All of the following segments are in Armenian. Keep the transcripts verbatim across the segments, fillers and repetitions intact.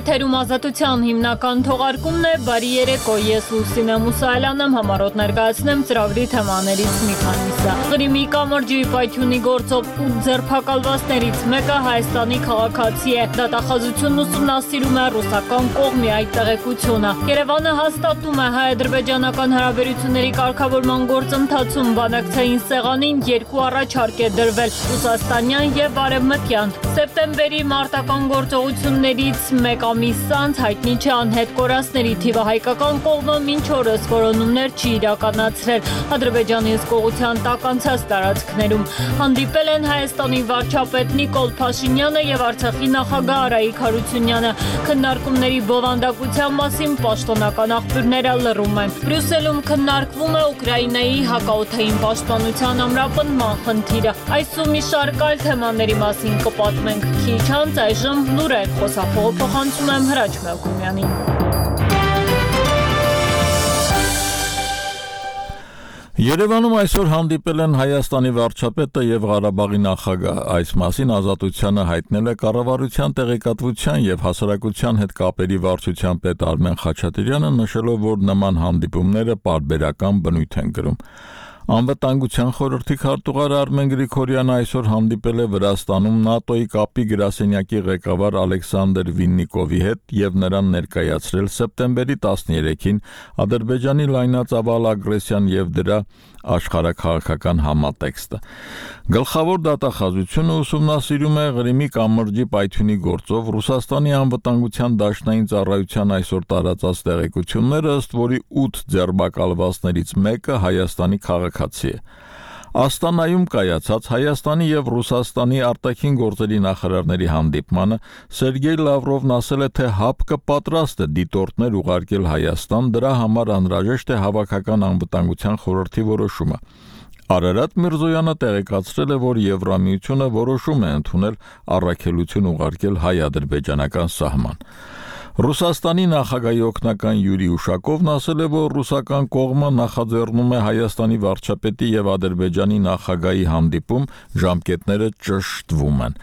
Եթերում Ազատության հիմնական թողարկումն է, բարի երեկո, ես Լուսինե Մուսայելյանն եմ, համառոտ ներկայացնեմ ծրագրի թեմաներից մի քանիսը։ Ղրիմի կամրջի պայթյունի գործով ութ ձերբակալվածներից մեկը Հայաստանի քաղաքացի է, դատախազությունն ուսումնասիրում է ռուսական կողմի այդ տեղեկությունը։ Երևանը հաստատում է հայ-ադրբեջանական հարաբերությունների կարգավորման գործընթացում բանակցային սեղանին երկու առաջարկ է դրվել՝ ռուսաստանյան եւ արևմտյան։ Սեպտեմբերի մարտական գործողություններից մեկ ամիս անց հայտնի չէ անհետ կորածների թիվը, հայկական կողմը մինչ օրս որոնումներ չի իրականացրել Ադրբեջանի հսկողության տակ անցած տարածքներում։ Հանդիպել են Հայաստանի վարչապետ Նիկոլ Փաշինյանը եւ Արցախի նախագահ Արայիկ Հարությունյանը։ Քննարկումների բովանդակության մասին պաշտոնական աղբյուրները լռում են։ Բրյուսելում քննարկվում է Ուկրաինայի հակաօդային պաշտպանության ամրապնդման խնդիրը։ Այսօր մի շարք այլ թեմաների մասին կպատմենք քիչ անց, այժմ լուրեր, խոսափողը փոխանցում եմ Հրաչ Մելքումյանին։ Երևանում այսօր հանդիպել են Հայաստանի վարչապետը եւ Ղարաբաղի նախագահ։ Այս մասին Ազատությանը հայտնել է կառավարության տեղեկատվության եւ հասարակության հետ կապերի վարչության պետ Արմեն Խաչատրյանը, նշելով, որ նման հանդիպումները պարբերական բնույթ են կրում։ Անվտանգության խորհրդի քարտուղար Արմեն Գրիգորյանը այսօր հանդիպել է Վրաստանում ՆԱՏՕ-ի կապի գրասենյակի ղեկավար Ալեքսանդր Վիննիկովի հետ եւ նրան ներկայացրել սեպտեմբերի տասներեքին Ադրբեջանի լայնածավալ ագրեսիան եւ դրա աշխարհաքաղաքական համատեքստը։ Գլխավոր դատախազությունը ուսումնասիրում է Ղրիմի կամրջի պայթյունի գործով Ռուսաստանի անվտանգության դաշնային ծառայության այսօր տարածած տեղեկությունները, ըստ որի ութ ձերբակալվածներից մեկը Հայաստանի քաղաքացի է։ Աստանայում կայացած Հայաստանի եւ Ռուսաստանի արտաքին գործերի նախարարների հանդիպմանը Սերգեյ Լավրովն ասել է, թե ՀԱՊԿ պատրաստ է դիտորդներ ուղարկել Հայաստան, դրա համար անհրաժեշտ է հավաքական անվտանգության խորհրդի որոշումը։ Արարատ Միրզոյանը տեղեկացրել է, որ Եվրամիությունը որոշում է ընդունել առաքելություն ուղարկել հայ-ադրբեջանական սահման։ Ռուսաստանի նախագահի օգնական Յուրի Ուշակովն ասել է, որ ռուսական կողմը նախաձեռնում է Հայաստանի վարչապետի եւ Ադրբեջանի նախագահի հանդիպում, ժամկետները ճշտվում են։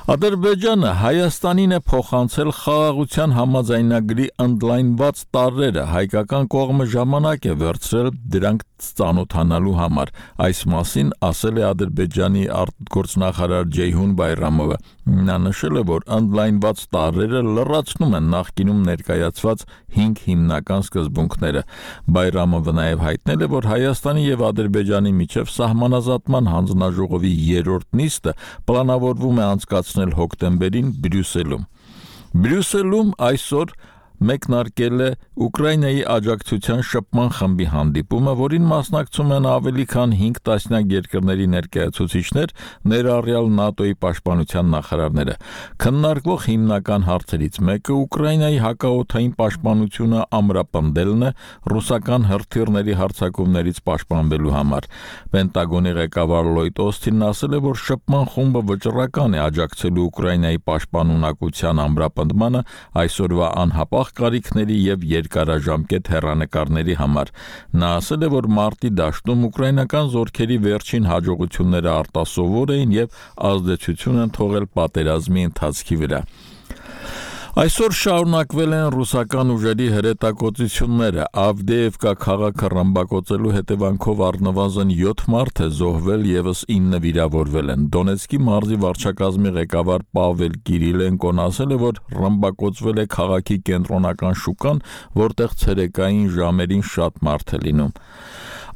Ադրբեջանը Հայաստանին է փոխանցել խաղաղության համաձայնագրի ընդլայնված տարրերը, հայկական կողմը ժամանակ է վերցրել դրանք ծանոթանալու համար։ Այս մասին ասել է Ադրբեջանի արտգործնախարար Ջեյհուն Բայրամովը։ Նա նշել է, որ ընդլայնված տարրերը լրացնում են նախկինում ներկայացված հինգ հիմնական սկզբունքները։ Բայրամովը նաև հայտնել է, որ Հայաստանի եւ Ադրբեջանի միջև սահմանազատման հանձնաժողովի երրորդ նիստը պլանավորվում է անցկացնել հոկտեմբերին Բրյուսելում։ Բրյուսելում այսօր մեկնարկել է Ուկրաինայի աջակցության շփման խմբի հանդիպումը, որին մասնակցում են ավելի քան հինգ տասնյակ երկրների ներկայացուցիչներ, ներառյալ ՆԱՏՕ-ի պաշտպանության նախարարները։ Քննարկվող հիմնական հարցերից մեկը Ուկրաինայի հակաօդային պաշտպանությունը ամրապնդելն է ռուսական հրթիռների հարձակումներից պաշտպանվելու համար։ Պենտագոնի ղեկավար Լոյդ Օսթինն ասել է, որ շփման խումբը վճռական է աջակցելու Ուկրաինայի պաշտպանունակության ամրապնդմանը այսօրվա անհապաղ կարիքների եւ երկարաժամկետ հեռանկարների համար։ Նա ասել է, որ մարտի դաշտում ուկրաինական զորքերի վերջին հաջողությունները արտասովոր էին եւ ազդեցություն են թողել պատերազմի ընթացքի վրա։ Այսօր շարունակվել են ռուսական ուժերի հրետակոծությունները։ Ավդեևկա քաղաքը ռմբակոծելու հետևանքով առնվազն յոթ մարդ է զոհվել, եւս ինը վիրավորվել են։ Դոնեցկի մարզի վարչակազմի ղեկավար Պավել Կիրիլենկոն ասել է, որ ռմբակոծվել է քաղաքի կենտրոնական շուկան, որտեղ ցերեկային ժամերին շատ մարդ է լինում։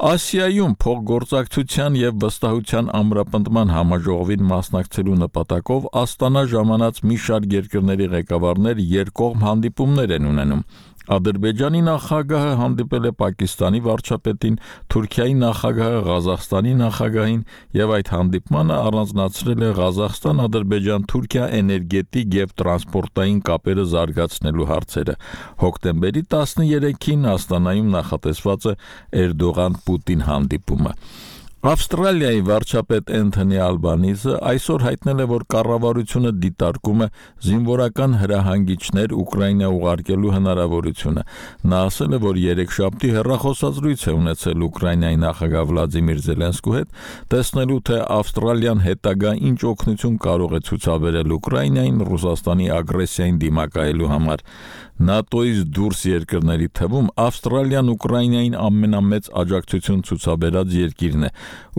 Ասիայում փոխգործակցության եւ վստահության ամրապնդման համաժողովին մասնակցելու նպատակով Աստանա ժամանած մի շարք երկրների ղեկավարներ երկկողմ հանդիպումներ են ունենում։ Ադրբեջանի նախագահը հանդիպել է Պակիստանի վարչապետին, Թուրքիայի նախագահը Ղազախստանի նախագահին եւ այդ հանդիպմանը առանձնացրել է Ղազախստան-Ադրբեջան-Թուրքիա էներգետիկ եւ տրանսպորտային կապերը զարգացնելու հարցերը։ Հոկտեմբերի տասներեքին Աստանայում նախատեսված է Էրդողան-Պուտին հանդիպումը։ Ավստրալիայի վարչապետ Էնթոնի Ալբանիզը այսօր հայտնել է, որ կառավարությունը դիտարկում է զինվորական հրահանգիչներ Ուկրաինա ուղարկելու հնարավորությունը։ Նա ասել է, որ երեքշաբթի հեռախոսազրույց է ունեցել Ուկրաինայի նախագահ Վլադիմիր Զելենսկու հետ, տեսնելու թե Ավստրալիան հետագա ինչ օգնություն կարող է ցուցաբերել Ուկրաինային Ռուսաստանի ագրեսիային դիմակայելու համար։ ՆԱՏՕ-ից դուրս երկրների թվում Ավստրալիան Ուկրաինային ամենամեծ աջակցություն ցուցաբերած երկիրն է։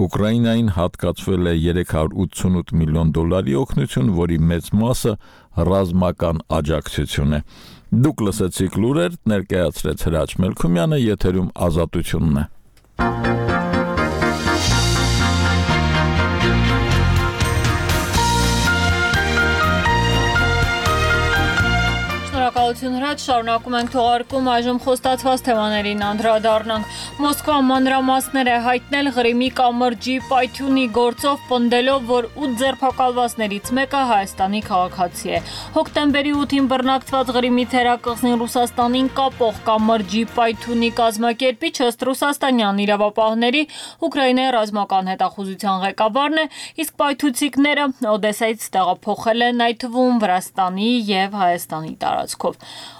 Ուկրաինային հատկացվել է երեք հարյուր ութսունութ միլիոն դոլարի օգնություն, որի մեծ մասը ռազմական աջակցություն է։ Դուք լսեցիք լուրեր, ներկայացրեց Հրաչ Մելքումյանը, եթերում Ազատությունն է։ Շնորհակալություն Հրաչ, շարունակում ենք թողարկում, այժմ խոստացված թեմաներին անդրադառնանք։ Մոսկվան մանրամասներ է հայտնել Ղրիմի կամրջի պայթյունի գործով պնդելով, որ ութ ձերբակալվածներից մեկը Հայաստանի քաղաքացի է։ Հոկտեմբերի ութին բռնակցված Ղրիմի թերակղզին Ռուսաստանին կապող կամրջի պայթյունի կազմակերպիչ ըստ ռուսաստանյան իրավապահների Ուկրաինայի ռազմական հետախուզության ղեկավարն է, իսկ պայթուցիկները Օդեսայից տեղափոխել են այդ թվում Վրաստանի եւ Հայաստանի տարածքով։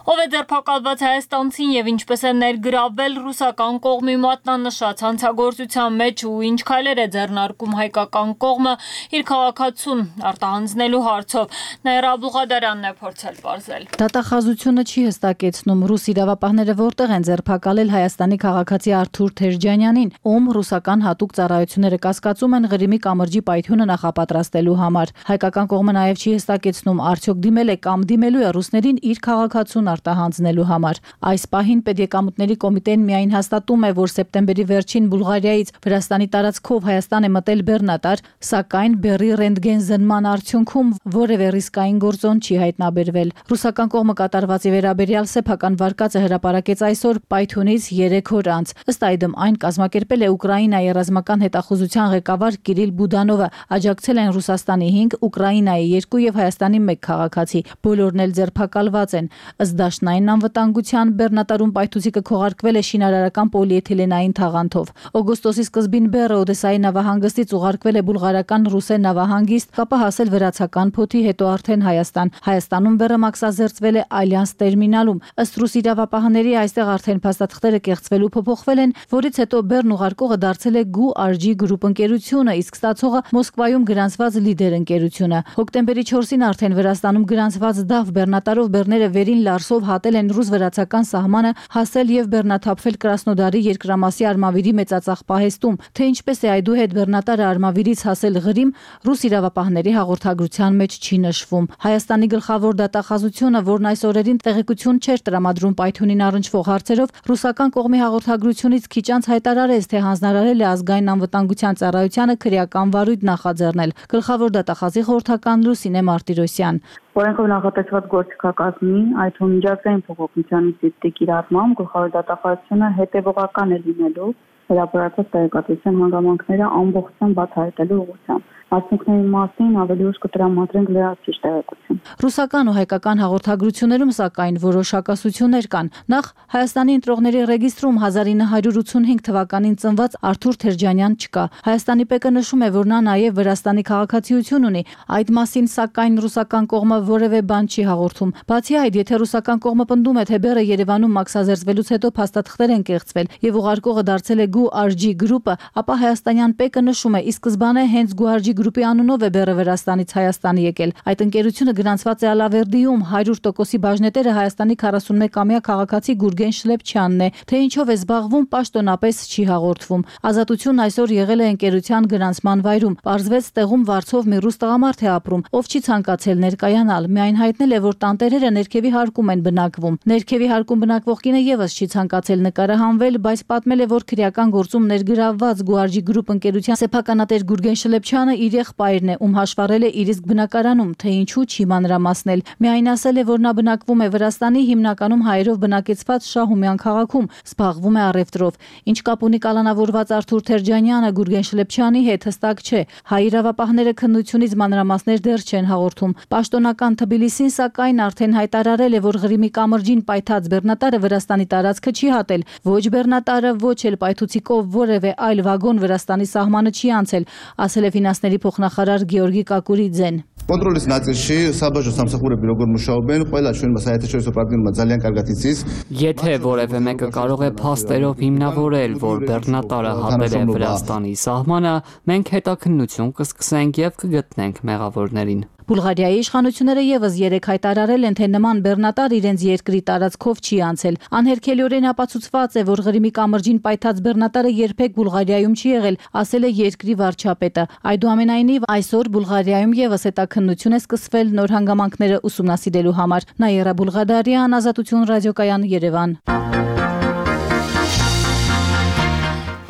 Ով է ձերբակալված հայաստանցին եւ ինչպես է ներգրավել ռուսական կողմի մատնանշած հանցագործության մեջ ու ինչ քայլեր է ձեռնարկում հայկական կողմը իր քաղաքացուն արտահանձնելու հարցով, Նաիրա Աբուղադարյանն է փորձել պարզել։ Դատախազությունը չի հստակեցնում ռուս իրավապահները որտեղ են ձերբակալել Հայաստանի քաղաքացի Արթուր Թերջանյանին, ում ռուսական հատուկ ծառայությունները կասկածում են Ղրիմի կամրջի պայթյունը նախապատրաստելու համար։ Հայկական կողմը նաեւ չի հստակեցնում արդյոք դիմել է կամ դիմելու է ռուսներին իր քաղաքացուն արտահանձնելու համար։ Այս պահին Պետեկամուտների կոմիտեն միայն հաստատում է, որ սեպտեմբերի վերջին Բուլղարիայից Վրաստանի տարածքով Հայաստան է մտել բեռնատար, սակայն բեռի ռենտգեն զննման արդյունքում որևէ ռիսկային գործոն չի հայտնաբերվել։ Ռուսական կողմը կատարվածի վերաբերյալ սեփական վարկածը հրապարակեց այսօր պայթյունից երեք օր անց։ Ըստ այդմ այն կազմակերպել է Ուկրաինայի ռազմական հետախուզության ղեկավար Կիրիլ Բուդանովը, աջակցել են Ռուսաստանի հինգ, Ուկրաինայի երկու եւ Հայաստանի մեկ քաղաքացի։ Բոլորն էլ ձերբակալված են։ Ըստ Դաշնային անվտանգության բեռնատարում պայթուցիկը քողարկվել է շինարարական պոլիէթիլենային թաղանթով։ Օգոստոսի սկզբին բեռը Օդեսայի նավահանգստից ուղարկվել է բուլղարական Ռուսե նավահանգիստ, ապա հասել վրացական փոթի, հետո արդեն Հայաստան։ Հայաստանում բեռը մաքսազերծվել է Ալյանս տերմինալում։ Ըստ ռուս իրավապահների այստեղ արդեն փաստաթղթերը կեղծվել ու փոփոխվել են, որից հետո բեռն ուղարկողը դարձել է Գու Ար Ջի գրուպ ընկերությունը, իսկ ստացողը Մոսկվայում գրանցված Լիդեր ընկերությունը։ Հոկտեմբերի չորսին արդեն Վրաստանում գրանցված Դավ բեռնատարով բեռները վերին Լարսով հատել են ռուս-վրացական սահմանը, հասել եւ բեռնաթափվել Կրասնոդարի երկրամասի Արմավիրի մեծածախ պահեստում։ Թե ինչպես է այդուհետ բեռնատարը Արմավիրից հասել Ղրիմ, ռուս իրավապահների հաղորդագրության մեջ չի նշվում։ Հայաստանի գլխավոր դատախազությունը, որն այս օրերին տեղեկություն չէր տրամադրում պայթյունին առնչվող հարցերով, ռուսական կողմի հաղորդագրությունից քիչ անց հայտարարեց, թե հանձնարարել է ազգային անվտանգության ծառայությանը քրեական վարույթ նախաձեռնել։ Գլխավոր դատախազի խորհրդական Լուսինե Մարտիրոսյան։ Օրենքով նախատեսված գործիքակազմի, այդ թվում միջազգային փոխօգնության ինստիտուտի կիրառմամբ գլխավոր դատախազությունը հետևողական է լինելու հրապարակված տեղեկատվության հանգամանքները ամբողջությամբ բացահայտելու ուղղությամբ։ Արդյունքների մասին ավելի ուշ կտրամադրենք լրացուցիչ տեղեկություն։ Ռուսական ու հայկական հաղորդագրություններում սակայն որոշ հակասություններ կան։ Նախ Հայաստանի ընտրողների ռեգիստրում հազար ինը հարյուր ութսունհինգ թվականին ծնված Արթուր Թերջանյան չկա։ Հայաստանի ՊԿ նշում է, որ նա նաև Վրաստանի քաղաքացիություն ունի։ Այդ մասին սակայն ռուսական կողմը որևէ բան չի հաղորդում։ Բացի այդ, եթե ռուսական կողմը պնդում է, թե բեռը Երևանում մաքսազերծվելուց հետո փաստաթղթեր են կեղծվել եւ ուղարկողը դարձել է Գու Ար Ջի գրուպը, ապա հայաստանյան ՊԿ նշում է, ի սկզբանե հենց Գու Ար Ջի գրուպի անունով է բեռը Վրաստանից Հայաստան եկել։ Այդ ընկերությունը գրանցված է Ալավերդիում, հարյուր տոկոսի բաժնետերը Հայաստանի քառասունմեկամյա քաղաքացի Գուրգեն Շլեփչյանն է, թե ինչով է զբաղվում պաշտոնապես չի հաղորդվում։ Ազատությունն այսօր եղել է ընկերության գրանցման վայրում։ Պարզվեց տեղում վարձով մի ռուս տղամարդ է ապրում, ով չի ցանկացել ներկայանալ, միայն հայտնել է, որ տանտերերը ներքևի հարկում են բնակվում։ Ներքևի հարկում բնակվող կինը եւս չի ցանկացել նկարահանվել, բայց պատմել է, որ քրեական գործում ներգրավված Գու Ար Ջի գրուպ ընկերության սեփականատեր Գուրգեն Շլեփչյանը իր իր եղբայրն է, ում հաշվառել է իր իսկ բնակարանում, թե ինչու չի մանրամասնել։ Միայն ասել է, որ նա բնակվում է Վրաստանի հիմնականում հայերով բնակեցված Շահումյան քաղաքում, զբաղվում է առևտրով։ Ինչ կապ ունի կալանավորված Արթուր Թերջանյանը Գուրգեն Շլեփչյանի հետ, հստակ չէ։ Հայ իրավապահները քննությունից մանրամասներ դեռ չեն հաղորդում։ Պաշտոնական Թբիլիսին սակայն արդեն հայտարարել է, որ Ղրիմի կամրջին պայթած բեռնատարը Վրաստանի տարածքը չի հատել։ Ոչ բեռնատարը, ոչ էլ պայթուցիկով որևէ այլ վագոն Վրաստանի սահմանը չի անցել, ասել է ֆինանսների փոխնախարար Գեորգի Կակուրիձեն։ Կոնտրոլից ნაწილში საბաժო სამსახურები როგორ მუშაობენ, ყველა ჩვენმა საერთაშორისო პარტნიორმა ძალიან კარგად იცის։ Եթե որևէ մեկը կարող է փաստերով հիմնավորել, որ բեռնատարը հատել է Վրաստանի սահմանը, մենք հետաքննություն կսկսենք եւ կգտնենք մեղավորներին։ Բուլղարիայի իշխանությունները եւս երեք հայտարարել են, թե նման բեռնատար իրենց երկրի տարածքով չի անցել։ Անհերքելիորեն ապացուցված է, որ Ղրիմի կամրջին պայթած բեռնատարը երբեք Բուլղարիայում չի եղել, ասել է երկրի վարչապետը։ Այդուամենայնիվ այսօր Բուլղարիայում եւս հետաքննություն է սկսվել նոր հանգամանքները ուսումնասիրելու համար։ Նաիրա Բուլղադարյան, Ազատություն ռադիոկայան, Երևան։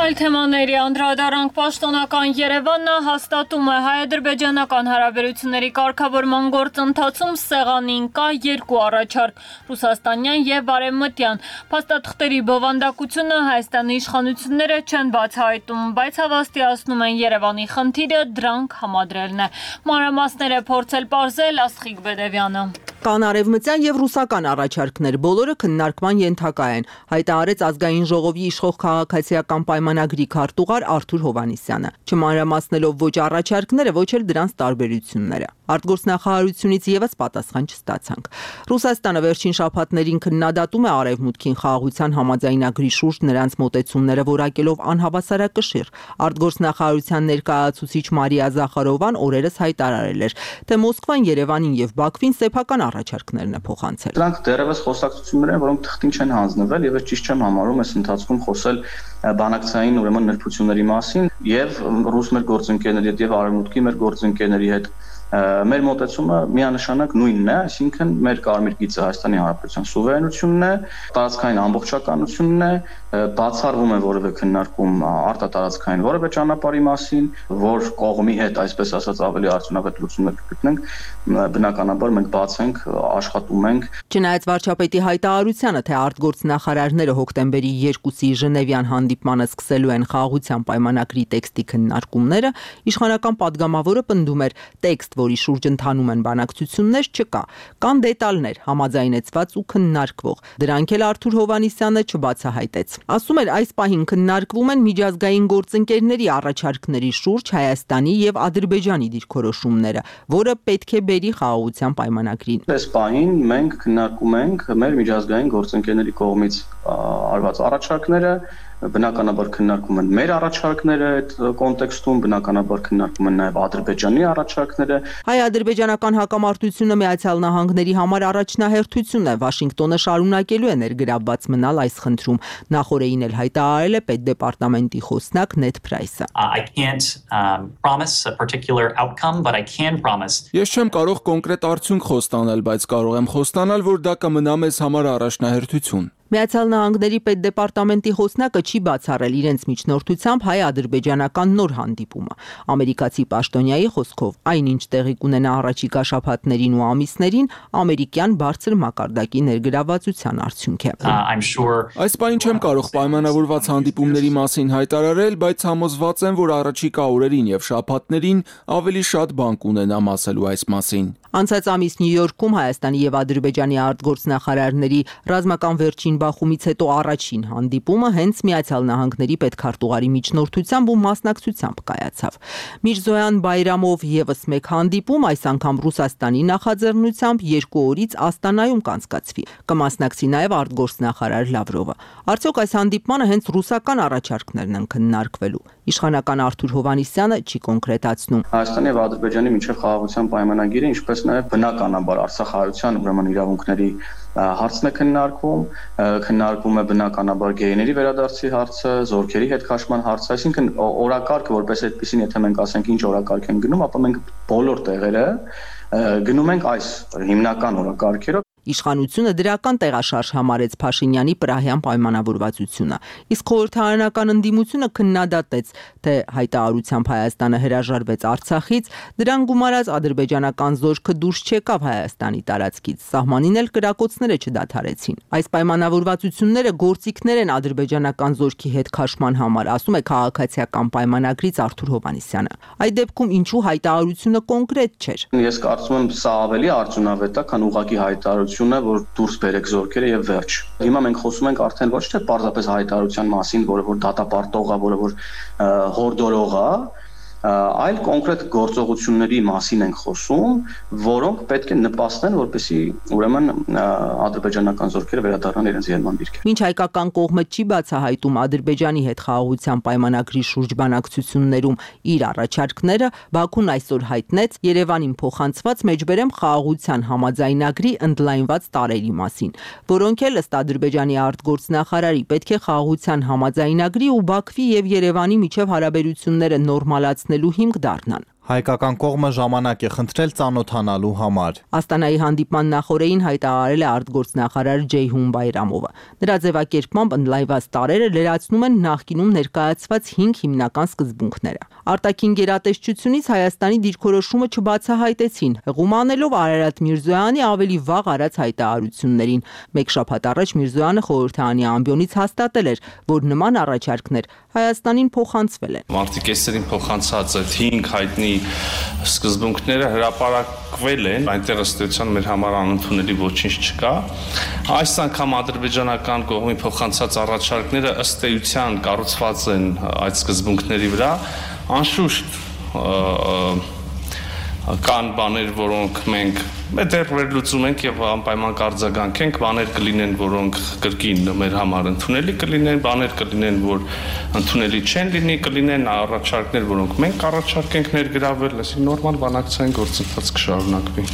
Այլ թեմաների անդրադառնանք պաշտոնական Երևանը հաստատում է հայ-ադրբեջանական հարաբերությունների կարգավորման գործընթացում սեղանին կա երկու առաջարկ՝ ռուսաստանյան եւ արևմտյան։ Փաստաթղթերի բովանդակությունը Հայաստանի իշխանությունները չեն բացահայտում, բայց հավաստիացնում են Երևանի խնդիրը դրանք համադրելն է։ Մանրամասները փորձել պարզել Աստղիկ Բեդևյանը։ Կան արևմտյան եւ ռուսական առաջարկներ, բոլորը քննարկման ենթակա են, հայտարարեց ազգային ժողովի իշխող քաղաքացիական պայմանագրի քարտուղար Արթուր Հովհաննիսյանը, չմանրամասնելով ոչ առաջարկները, ոչ էլ դրանց տարբերությունները։ Արտգործնախարարությունից եւս պատասխան չստացանք։ Ռուսաստանը վերջին շաբաթներին քննադատում է Արևմուտքին խաղաղության համաձայնագրի շուրջ նրանց մոտեցումները որակելով անհավասարակշիռ։ Արտգործնախարարության ներկայացուցիչ Մարիա Զախարովան օրերս հայտարարել էր, թե Մոսկվան Երևանին եւ Բաքվին սեփական առաջարկներն է փոխանցել։ Դրանք դեռևս խոսակցություններ են, որոնք թղթին չեն հանձնվել եւ ես ճիշտ չեմ համարում այս ընթացքում խոսել բանակցային ուրեմն նրբությունների մասին եւ ռուս մեր գործընկերների հետ եւ արևմուտքի մեր գործընկերների հետ մեր մոտեցումը միանշանակ նույնն է, այսինքն մեր կարմիր գիծը Հայաստանի Հանրապետության սուվերենությունն է, տարածքային ամբողջականությունն է, բացառվում է որևէ քննարկում արտատարածքային որևէ ճանապարհի մասին, որ կողմի հետ, այսպես ասած, ավելի արդյունավետ լուծումներ կգտնենք, բնականաբար մենք բաց ենք, աշխատում ենք։ Չնայած վարչապետի հայտարարությանը, թե արտգործնախարարները հոկտեմբերի երկուսի Ժնևյան հանդիպմանը սկսելու են խաղաղության պայմանագրի տեքստի քննարկումները, իշխանական падգամավորը պնդում էր, տեքստ, որի շուրջ ընթանում են բանակցություններ, չկա։ Կան դետալներ, համաձայնեցված ու քննարկվող։ Դրանք էլ Արթուր Հովհաննիսյանը չբացահայտեց։ Ասում էր, այս պահին քննարկվում են միջազգային գործընկերների առաջարկների շուրջ Հայաստանի եւ Ադրբեջանի դիրքորոշումները, որը պետք է բերի խաղաղության պայմանագրին։ Այս պահին մենք քննարկում ենք մեր միջազգային գործընկերների կողմից արված առաջարկները, բնականաբար քննարկում են մեր առաջարկները այդ կոնտեքստում, բնականաբար քննարկում են նաև Ադրբեջանի առաջարկները։ Հայ-ադրբեջանական հակամարտությունը Միացյալ Նահանգների համար առաջնահերթություն է, Վաշինգտոնը շարունակելու է ներգրավված մնալ այս խնդրում։ Նախորդին էլ հայտարարել է պետդեպարտամենտի խոսնակ Նեդ Փրայսը։ Ես չեմ կարող կոնկրետ արդյունք խոստանալ, բայց կարող եմ խոստանալ, որ դա կմնա մեզ համար առաջնահերթություն։ Միացյալ Նահանգների պետդեպարտամենտի խոսնակը չի բացառել իրենց միջնորդությամբ հայ-ադրբեջանական նոր հանդիպումը։ Ամերիկացի պաշտոնյայի խոսքով, այնինչ տեղի կունենա առաջիկա շաբաթներին ու ամիսներին, ամերիկյան բարձր մակարդակի ներգրավվածության արդյունք է։ Այս պահին չեմ կարող պայմանավորված հանդիպումների մասին հայտարարել, բայց համոզված եմ, որ առաջիկա օրերին եւ շաբաթներին ավելի շատ բան կունենամ ասելու այս մասին։ Անցած ամիս Նյու Յորքում Հայաստանի եւ Ադրբեջանի արտգործնախարարների ռազմական վերջին բախումից հետո առաջին հանդիպումը հենց Միացյալ Նահանգների պետքարտուղարի միջնորդությամբ ու մասնակցությամբ կայացավ։ Միրզոյան Բայրամով եւս մեկ հանդիպում, այս անգամ Ռուսաստանի նախաձեռնությամբ երկու օրից Աստանայում կանցկացվի։ Կմասնակցի նաեւ արտգործնախարար Լավրովը։ Արդյոք այս հանդիպմանը հենց ռուսական առաջարկներն են քննարկվելու։ Իշխանական Արթուր Հովհաննիսյանը չի կոնկրետացնում։ Հայաստանի եւ Ադրբեջանի միջև խաղաղության պայմանագիրը, ինչպես նաև բնականաբար Արցախահայության ուրեմն իրավունքների հարցն է քննարկվում, քննարկվում է բնականաբար գեյների վերադարձի հարցը, զորքերի հետ քաշման հարցը, այսինքն օրակարգը որպես այդպեսին, եթե մենք ասենք ինչ օրակարգ են գնում, ապա մենք բոլոր տեղերը գնում ենք այս հիմնական օրակարգերով։ Իշխանությունը դրական տեղաշարժ համարեց Փաշինյանի Պրահյան պայմանավորվածությունը, իսկ խորհրդարանական ընդդիմությունը քննադատեց, թե հայտարարությամբ Հայաստանը հրաժարվեց Արցախից, դրան գումարած ադրբեջանական զորքը դուրս չեկավ Հայաստանի տարածքից, սահմանին էլ կրակոցները չդադարեցին։ Այս պայմանավորվածությունները գործիքներ են ադրբեջանական զորքի հետ քաշման համար, ասում է քաղաքացիական պայմանագրից Արթուր Հովհաննիսյանը։ Այդ դեպքում ինչու հայտարարությունը կոնկրետ չէր։ Ես կարծում եմ սա ավելի արդյունավետ է, քան ուղղակի հայտարարությունը, որ դուրս բերեք զորքերը եւ վերջ։ Հիմա մենք խոսում ենք արդեն ոչ թե պարզապես հայտարարության մասին, որը որ դատապարտող է, որը որ հորդորող է, այլ կոնկրետ գործողությունների մասին ենք խոսում, որոնք պետք է նպաստեն, որպեսզի ուրեմն ադրբեջանական զորքերը վերադառնան իրենց ելման դիրքեր։ Մինչ հայկական կողմը չի բացահայտում Ադրբեջանի հետ խաղաղության պայմանագրի շուրջ բանակցություններում իր առաջարկները, Բաքուն այսօր հայտնեց Երևանին փոխանցված մեջբերեմ խաղաղության համաձայնագրի ընդլայնված տարերի մասին, որոնք էլ ըստ Ադրբեջանի արտգործնախարարի պետք է խաղաղության համաձայնագրի ու Բաքվի եւ Երևանի միջև հարաբերությունները նորմալացնելու հիմք դառնան։ Հայկական կողմը ժամանակ է խնդրել ծանոթանալու համար։ Աստանայի հանդիպման նախօրեին հայտարարել է արտգործնախարար Ջեյհուն Բայրամովը։ Նրա ձևակերպմամբ ընդլայնված տարերը լրացնում են նախկինում ներկայացված հինգ հիմնական սկզբունքները։ Արտաքին գերատեսչությունից Հայաստանի դիրքորոշումը չբացահայտեցին, հղում անելով Արարատ Միրզոյանի ավելի վաղ արած հայտարարություններին։ Մեկ շաբաթ առաջ Միրզոյանը խորհրդարանի ամբիոնից հաստատել էր, որ նման առաջարկներ Հայաստանին փոխանցվել են։ Մարտի կեսերին փոխանցած այդ հինգ հայտնի սկզբունքները հրապարակվել են, այնտեղ ըստ էության մեր համար անընդունելի ոչինչ չկա։ Այս անգամ ադրբեջանական կողմի փոխանցած առաջարկները ըստ էության կառուցված են այդ սկզբունքների վրա, անշուշտ կան բաներ, որոնք մենք դեռ վերլուծում ենք եւ անպայման կարձագանքենք, բաներ կլինեն, որոնք կրկին մեր համար ընդունելի կլինեն, բաներ կլինեն, որ ընդունելի չեն լինի, կլինեն առաջարկներ, որոնք մենք առաջարկենք ներգրավել, այսինքն նորմալ բանակցային գործընթաց կշարունակվի։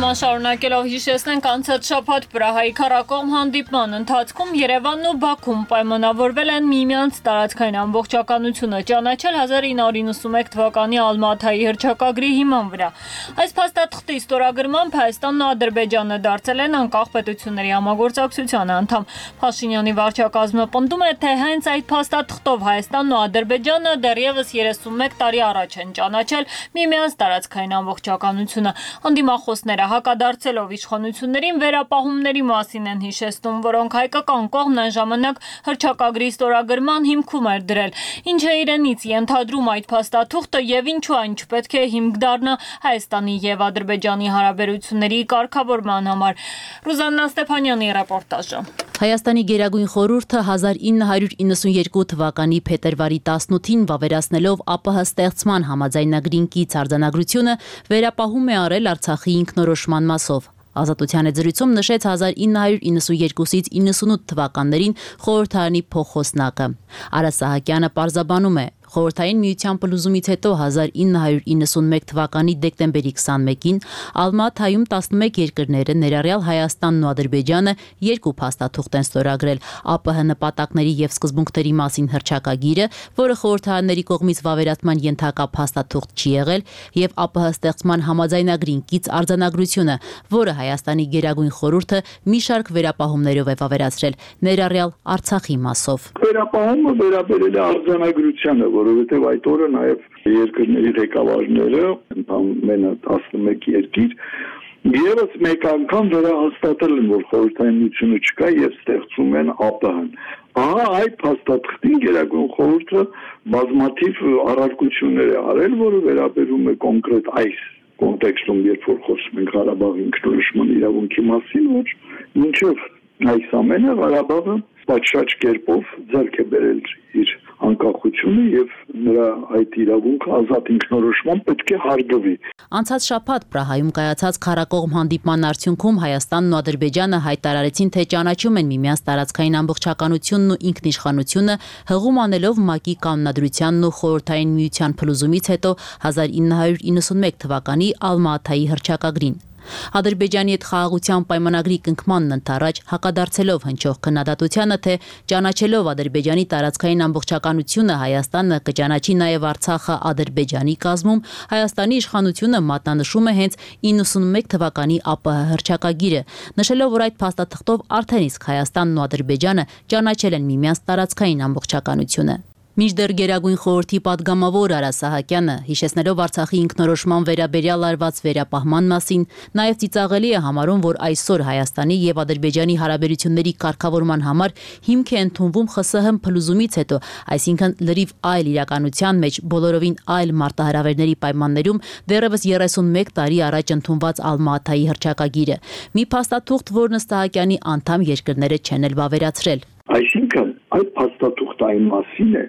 Շարունակելով հիշեցնենք անցած շաբաթ Պրահայի քառակողմ հանդիպման ընթացքում Երևանն ու Բաքուն պայմանավորվել են միմյանց տարածքային ամբողջականությունը ճանաչել հազար ինը հարյուր իննսունմեկ թվականի Ալմաթայի հռչակագրի հիման վրա։ Այս փաստաթղթի ստորագրմամբ Հայաստանն ու Ադրբեջանը դարձել են անկախ պետությունների համագործակցության անդամ։ Փաշինյանի վարչակազմը պնդում է, թե հենց այդ փաստաթղթով Հայաստանն ու Ադրբեջանը դեռևս երեսունմեկ տարի առաջ են ճանաչել միմյանց տարածքային ամբողջականությունը։ Անդիմախոսները հակադարձելով իշխանություններին վերապահումների մասին են հիշեցնում, որոնք հայկական կողմն այն ժամանակ հռչակագրի ստորագրման հիմքում էր դրել։ Ինչ է իրենից ենթադրում այդ փաստաթուղթը եւ ինչու այն չպետք է հիմք դառնա Հայաստանի եւ Ադրբեջանի հարաբերությունների կարգավորման համար։ Ռուզաննա Ստեփանյանի ռեպորտաժը։ Հայաստանի Գերագույն խորհուրդը հազար ինը հարյուր իննսունյերկու թվականի փետրվարի տասնութին վավերացնելով ԱՊՀ ստեղծման համաձայնագրին կից արձանագրությունը վերապահում է արել Արցախի ինքնորոշման մասով։ Ազատության զրույցում նշեց հազար ինը հարյուր իննսունյերկուից իննսունութ թվականներին խորհրդարանի փոխոսնակը։ Արա Սահակյանը պարզաբանում է, Խորհրդային միության փլուզումից հետո հազար ինը հարյուր իննսունմեկ թվականի դեկտեմբերի քսանմեկին Ալմաթայում տասնմեկ երկրները ներառյալ Հայաստանն ու Ադրբեջանը երկու փաստաթուղթ են ստորագրել ԱՊՀ նպատակների եւ սկզբունքների մասին հռչակագիրը, որը խորհրդարանների կողմից վավերացման ենթակա փաստաթուղթ չի եղել, եւ ԱՊՀ ստեղծման համաձայնագրին կից արձանագրությունը, որը Հայաստանի Գերագույն խորհուրդը մի շարք վերապահումներով է վավերացրել, ներառյալ Արցախի մասով։ Վերապահումը վերաբերել է արձանագրությանը, որովհետև այդ օրը նաև երկրների ղեկավարները, ընդամենը տասնմեկ երկիր, եւս մեկ անգամ վերահաստատել են, որ խորհրդային միությունը չկա եւ ստեղծում են ԱՊՀ-ն։ Ահա այդ փաստաթղթին Գերագույն խորհուրդը բազմաթիվ առարկություններ է արել, որը վերաբերում է կոնկրետ այս կոնտեքստում, երբ որ խոսում ենք Ղարաբաղի ինքնորոշման իրավունքի մասին, որ մինչև այս ամենը Ղարաբաղը պատշաճ կերպով ձեռք է բերել իր անկախությունը եւ նրա այդ իրավունքը ազատ ինքնորոշման պետք է հարգվի։ Անցած շաբաթ Պրահայում կայացած քառակողմ հանդիպման արդյունքում Հայաստանն ու Ադրբեջանը հայտարարեցին, թե ճանաչում են միմյանց տարածքային ամբողջականությունն ու ինքնիշխանությունը, հղում անելով ՄԱԿ-ի կանոնադրությանն ու խորհրդային միության փլուզումից հետո հազար ինը հարյուր իննսունմեկ թվականի Ալմաթայի հռչակագրին։ Ադրբեջանի հետ խաղաղության պայմանագրի կնքմանն ընդառաջ հակադարձելով հնչող քննադատությանը, թե ճանաչելով Ադրբեջանի տարածքային ամբողջականությունը Հայաստանը կճանաչի նաև Արցախը Ադրբեջանի կազմում, Հայաստանի իշխանությունը մատնանշում է հենց իննսունմեկ թվականի ԱՊՀ հռչակագիրը, նշելով, որ այդ փաստաթղթով արդեն իսկ Հայաստանն ու Ադրբեջանը ճանաչել են միմյանց տարածքային ամբողջականությունը։ Մինչդեռ Գերագույն խորհրդի падգամավոր Արա Սահակյանը, հիշեցնելով Արցախի ինքնորոշման վերաբերյալ արված վերապահման մասին, նաև ծիծաղելի է համարում, որ այսօր Հայաստանի եւ Ադրբեջանի հարաբերությունների կարգավորման համար հիմք է ընդունվում ԽՍՀՄ փլուզումից հետո, այսինքն լրիվ այլ իրականության մեջ բոլորովին այլ մարտահրավերների պայմաններում դեռևս երեսունմեկ տարի առաջ ընդունված Ալմա-Աթայի հռչակագիրը։ Մի փաստաթուղթ, որն ըստ Սահակյանի անդամ երկրները չեն էլ վավերացրել։ Այսինքն այդ փաստաթուղթային մասին է,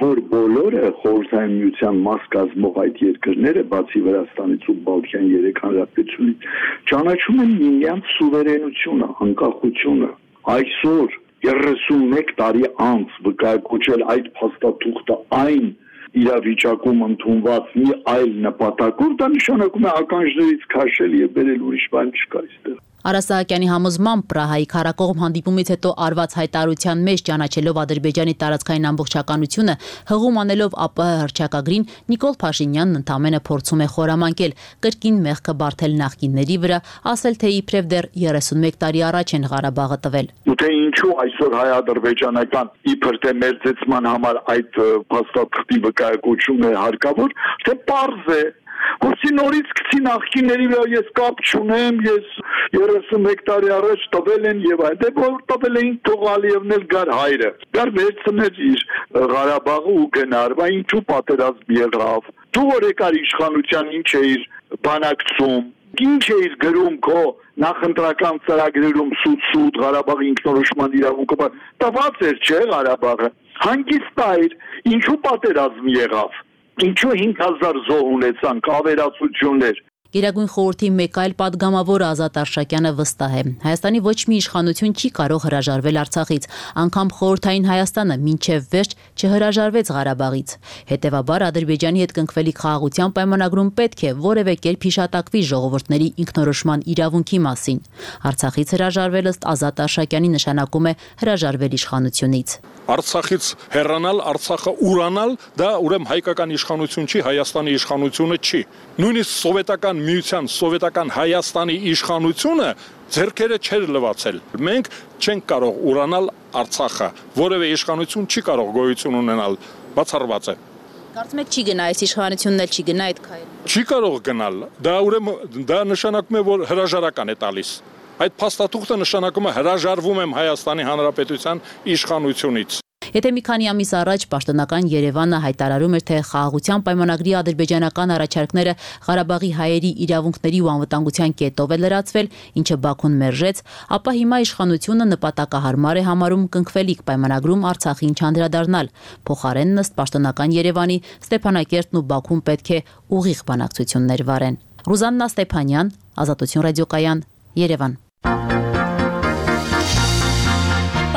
որ բոլորը խորհրդային միության մաս կազմող այդ երկրները, բացի Վրաստանից ու Բալթյան երեք հանրապետությունից, ճանաչում են միմյանց սուվերենությունը, անկախությունը։ Այսօր երեսունմեկ տարի անց վկայակոչել այդ փաստաթուղթը այն իրավիճակում ընդունված մի այլ նպատակով, դա նշանակում է ականջներից քաշել եւ բերել ուրիշ բան չկա այստեղ։ Արա Սահակյանի համոզմամբ Պրահայի քարակողմ հանդիպումից հետո արված հայտարարության մեջ ճանաչելով Ադրբեջանի տարածքային ամբողջականությունը, հղում անելով ԱՊՀ հռչակագրին, Նիկոլ Փաշինյանն ընդամենը փորձում է խորամանկել կրկին մեղքը բարթել նախկինների վրա, ասել թե իբրև դեռ երեսունմեկ տարի առաջ են Ղարաբաղը տվել։ Ու թե ինչու այսօր հայ-ադրբեջանական իբր թե մերձեցման համար այդ փաստաթղթի վկայակոչումն է հարկավոր, թե պարզ է, որի նորից գցի նախկինների վրա ես կապ չունեմ, ես երեսունմեկ տարի առաջ տվել են եւ այլ, դե որ տվել էին թող Ալիևն էլ գար հայրը, գար վերցներ իր Ղարաբաղը ու գնար, բա ինչու պատերազմ եղավ, դու որ եկար իշխանության ինչ էիր բանակցում, ինչ էիր գրում քո նախընտրական ծրագրերում սուտ-սուտ Ղարաբաղի ինքնորոշման իրավունքը, տված էր չէ Ղարաբաղը, հանգիստ այր, ինչու պատերազմ եղավ, ինչու հինգ հազար զոհ ունեցանք, ավերածություններ։ Գերագույն խորհրդի մեկ այլ падգամավոր Ազատ Արշակյանը վստահ է, Հայաստանի ոչ մի իշխանություն չի կարող հրաժարվել Արցախից, անգամ խորհրդային Հայաստանը մինչև վերջ չհրաժարվեց Ղարաբաղից։ Հետևաբար Ադրբեջանի հետ կնքվելիք խաղաղության պայմանագրում պետք է որևէ կերպ հիշատակվի ժողովուրդների ինքնորոշման իրավունքի մասին։ Արցախից հրաժարվել ըստ Ազատ Արշակյանի նշանակում է հրաժարվել իշխանությունից։ Արցախից հեռանալ, Արցախը ուրանալ, դա ուրեմն հայկական իշխանություն չի, Հայաստանի իշխանությունը չի։ Նույնիսկ սովետական միության, սովետական Հայաստանի իշխանությունը ձեռքերը չէր լվացել։ Մենք չենք կարող ուրանալ Արցախը, որևէ իշխանություն չի կարող գոյություն ունենալ, բացառված է։ Կարծում եք չի գնա այս իշխանությունն էլ չի գնա այդ քայլը։ Չի կարող գնալ։ Դա ուրեմն դա նշանակում է, որ հրաժարական է տալիս։ Այդ փաստաթուղթը նշանակում է հրաժարվում եմ Հայաստանի Հանրապետության իշխանությունից։ Եթե մի քանի ամիս առաջ պաշտոնական Երևանը հայտարարում էր, թե խաղաղության պայմանագրի ադրբեջանական առաջարկները Ղարաբաղի հայերի իրավունքների ու անվտանգության կետով է լրացվել, ինչը Բաքուն մերժեց, ապա հիմա իշխանությունը նպատակահարմար է համարում կնքվելիք պայմանագրում Արցախին չանդրադառնալ։ Փոխարենն ըստ պաշտոնական Երևանի Ստեփանակերտն ու Բաքուն պետք է ուղիղ բանակցություններ վարեն։ Ռուզաննա Ստեփանյան, Ազատություն ռադիոկայան, Երևան։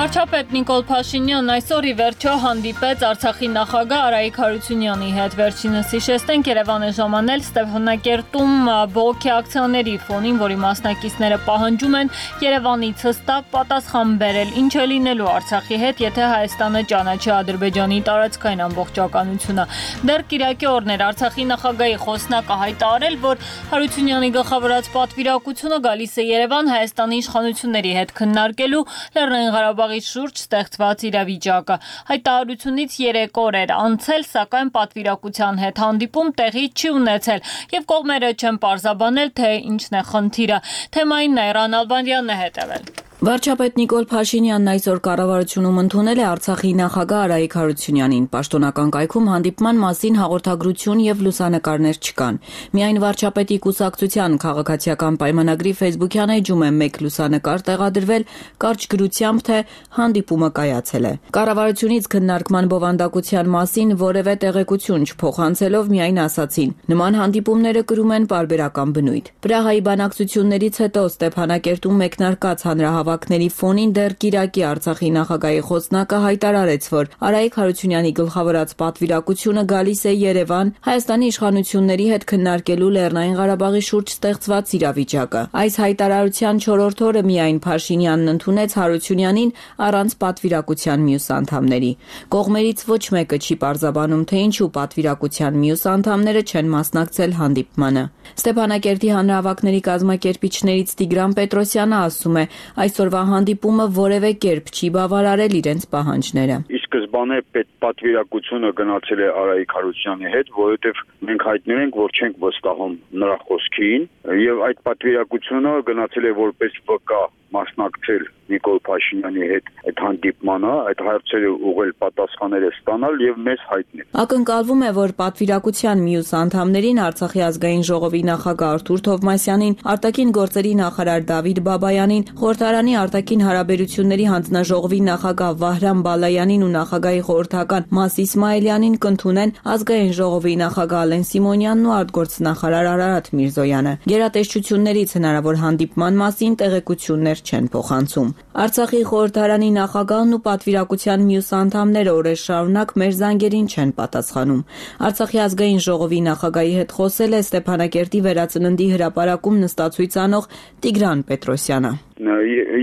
Վարչապետ Նիկոլ Փաշինյանն այսօր ի վերջո հանդիպեց Արցախի նախագահ Արայիկ Հարությունյանի հետ։ Վերջինս հիշեցնենք Երևան է ժամանել Ստեփանակերտում բողոքի ակցիաների ֆոնին, որի մասնակիցները պահանջում են Երևանից հստակ պատասխան բերել, ինչ է լինելու Արցախի հետ, եթե Հայաստանը ճանաչի Ադրբեջանի տարածքային ամբողջականությունը։ Դեռ կիրակի օրն էր Արցախի նախագահի խոսնակը հայտարարել, որ Հարությունյանի գլխավորած պատվիրակությունը գալիս է Երևան Հայաստանի իշխանությունների հետ քննարկելու Լեռնային Ղարաբաղի շուրջ ստեղծված իրավիճակը։ Հայտարարությունից երեք օր էր անցել, սակայն պատվիրակության հետ հանդիպում տեղի չի ունեցել եւ կողմերը չեն պարզաբանել, թե ինչն է խնդիրը։ Թեմային Նայրան Ալբանդյանն է հետևել։ Վարչապետ Նիկոլ Փաշինյանն այսօր կառավարությունում ընդունել է Արցախի նախագահ Արայիկ Հարությունյանին։ Պաշտոնական կայքում հանդիպման մասին հաղորդագրություն եւ լուսանկարներ չկան։ Միայն վարչապետի կուսակցության քաղաքացիական պայմանագրի ֆեյսբուքյան էջում է մեկ լուսանկար տեղադրվել կարճ գրությամբ, թե հանդիպումը կայացել է։ Կառավարությունից քննարկման բովանդակության մասին որևէ տեղեկություն չփոխանցելով միայն ասացին. նման հանդիպումները կրում են պարբերական բնույթ։ Պրահայի բանակցություններից հետո Ստեփանակերտում մեկնարկած հանրահավաք հանրահավաքների ֆոնին դեռ Կիրակի Արցախի նախագահի խոսնակը հայտարարեց, որ Արայիկ Հարությունյանի գլխավորած պատվիրակությունը գալիս է Երևան Հայաստանի իշխանությունների հետ քննարկելու Լեռնային Ղարաբաղի շուրջ ստեղծված իրավիճակը։ Այս հայտարարության չորրորդ օրը միայն Փաշինյանն ընդունեց Հարությունյանին առանց պատվիրակության մյուս անդամների։ Կողմերից ոչ մեկը չի պարզաբանում, թե ինչու պատվիրակության մյուս անդամները չեն մասնակցել հանդիպմանը։ Ստեփանակերտի հանրահավաքների կազմակերպիչներից Տիգրան Պետրոսյանը ասում է, այսօրվա հանդիպումը որևէ կերպ չի բավարարել իրենց պահանջները։ Սկզբանե պատվիրակությունը գնացել է Արայիկ Հարությունյանի հետ, որովհետև մենք հայտնել ենք, որ չենք վստահում նրա խոսքին, եւ այդ պատվիրակությունը գնացել է որպես վկա մասնակցել Նիկոլ Փաշինյանի հետ այդ հանդիպմանը, այդ հարցերը ուղղել պատասխանները ստանալ եւ մեզ հայտնել։ Ակնկալվում է, որ պատվիրակության մյուս անդամներին Արցախի ազգային ժողովի նախագահ Արթուր Թովմասյանին, արտաքին գործերի նախարար Դավիթ Բաբայանին, խորհրդարանի արտաքին հարաբերությունների հանձնաժողովի նախագահ Վահրամ Բալայանին ու նախագահի խորհրդական Մաս Իսմայելյանին կընդունեն ազգային ժողովի նախագահ Ալեն Սիմոնյանն ու արտգործնախարար Արարատ Միրզոյանը։ Գերատեսչություններից հնարավոր հանդիպման մասին տեղեկություններ չեն փոխանցում։ Արցախի խորհրդարանի նախագահն ու պատվիրակության մյուս անդամները օրեր շարունակ մեր զանգերին չեն պատասխանում։ Արցախի ազգային ժողովի նախագահի հետ խոսել է Ստեփանակերտի վերածննդի հրապարակում նստածույց անող Տիգրան Պետրոսյանը։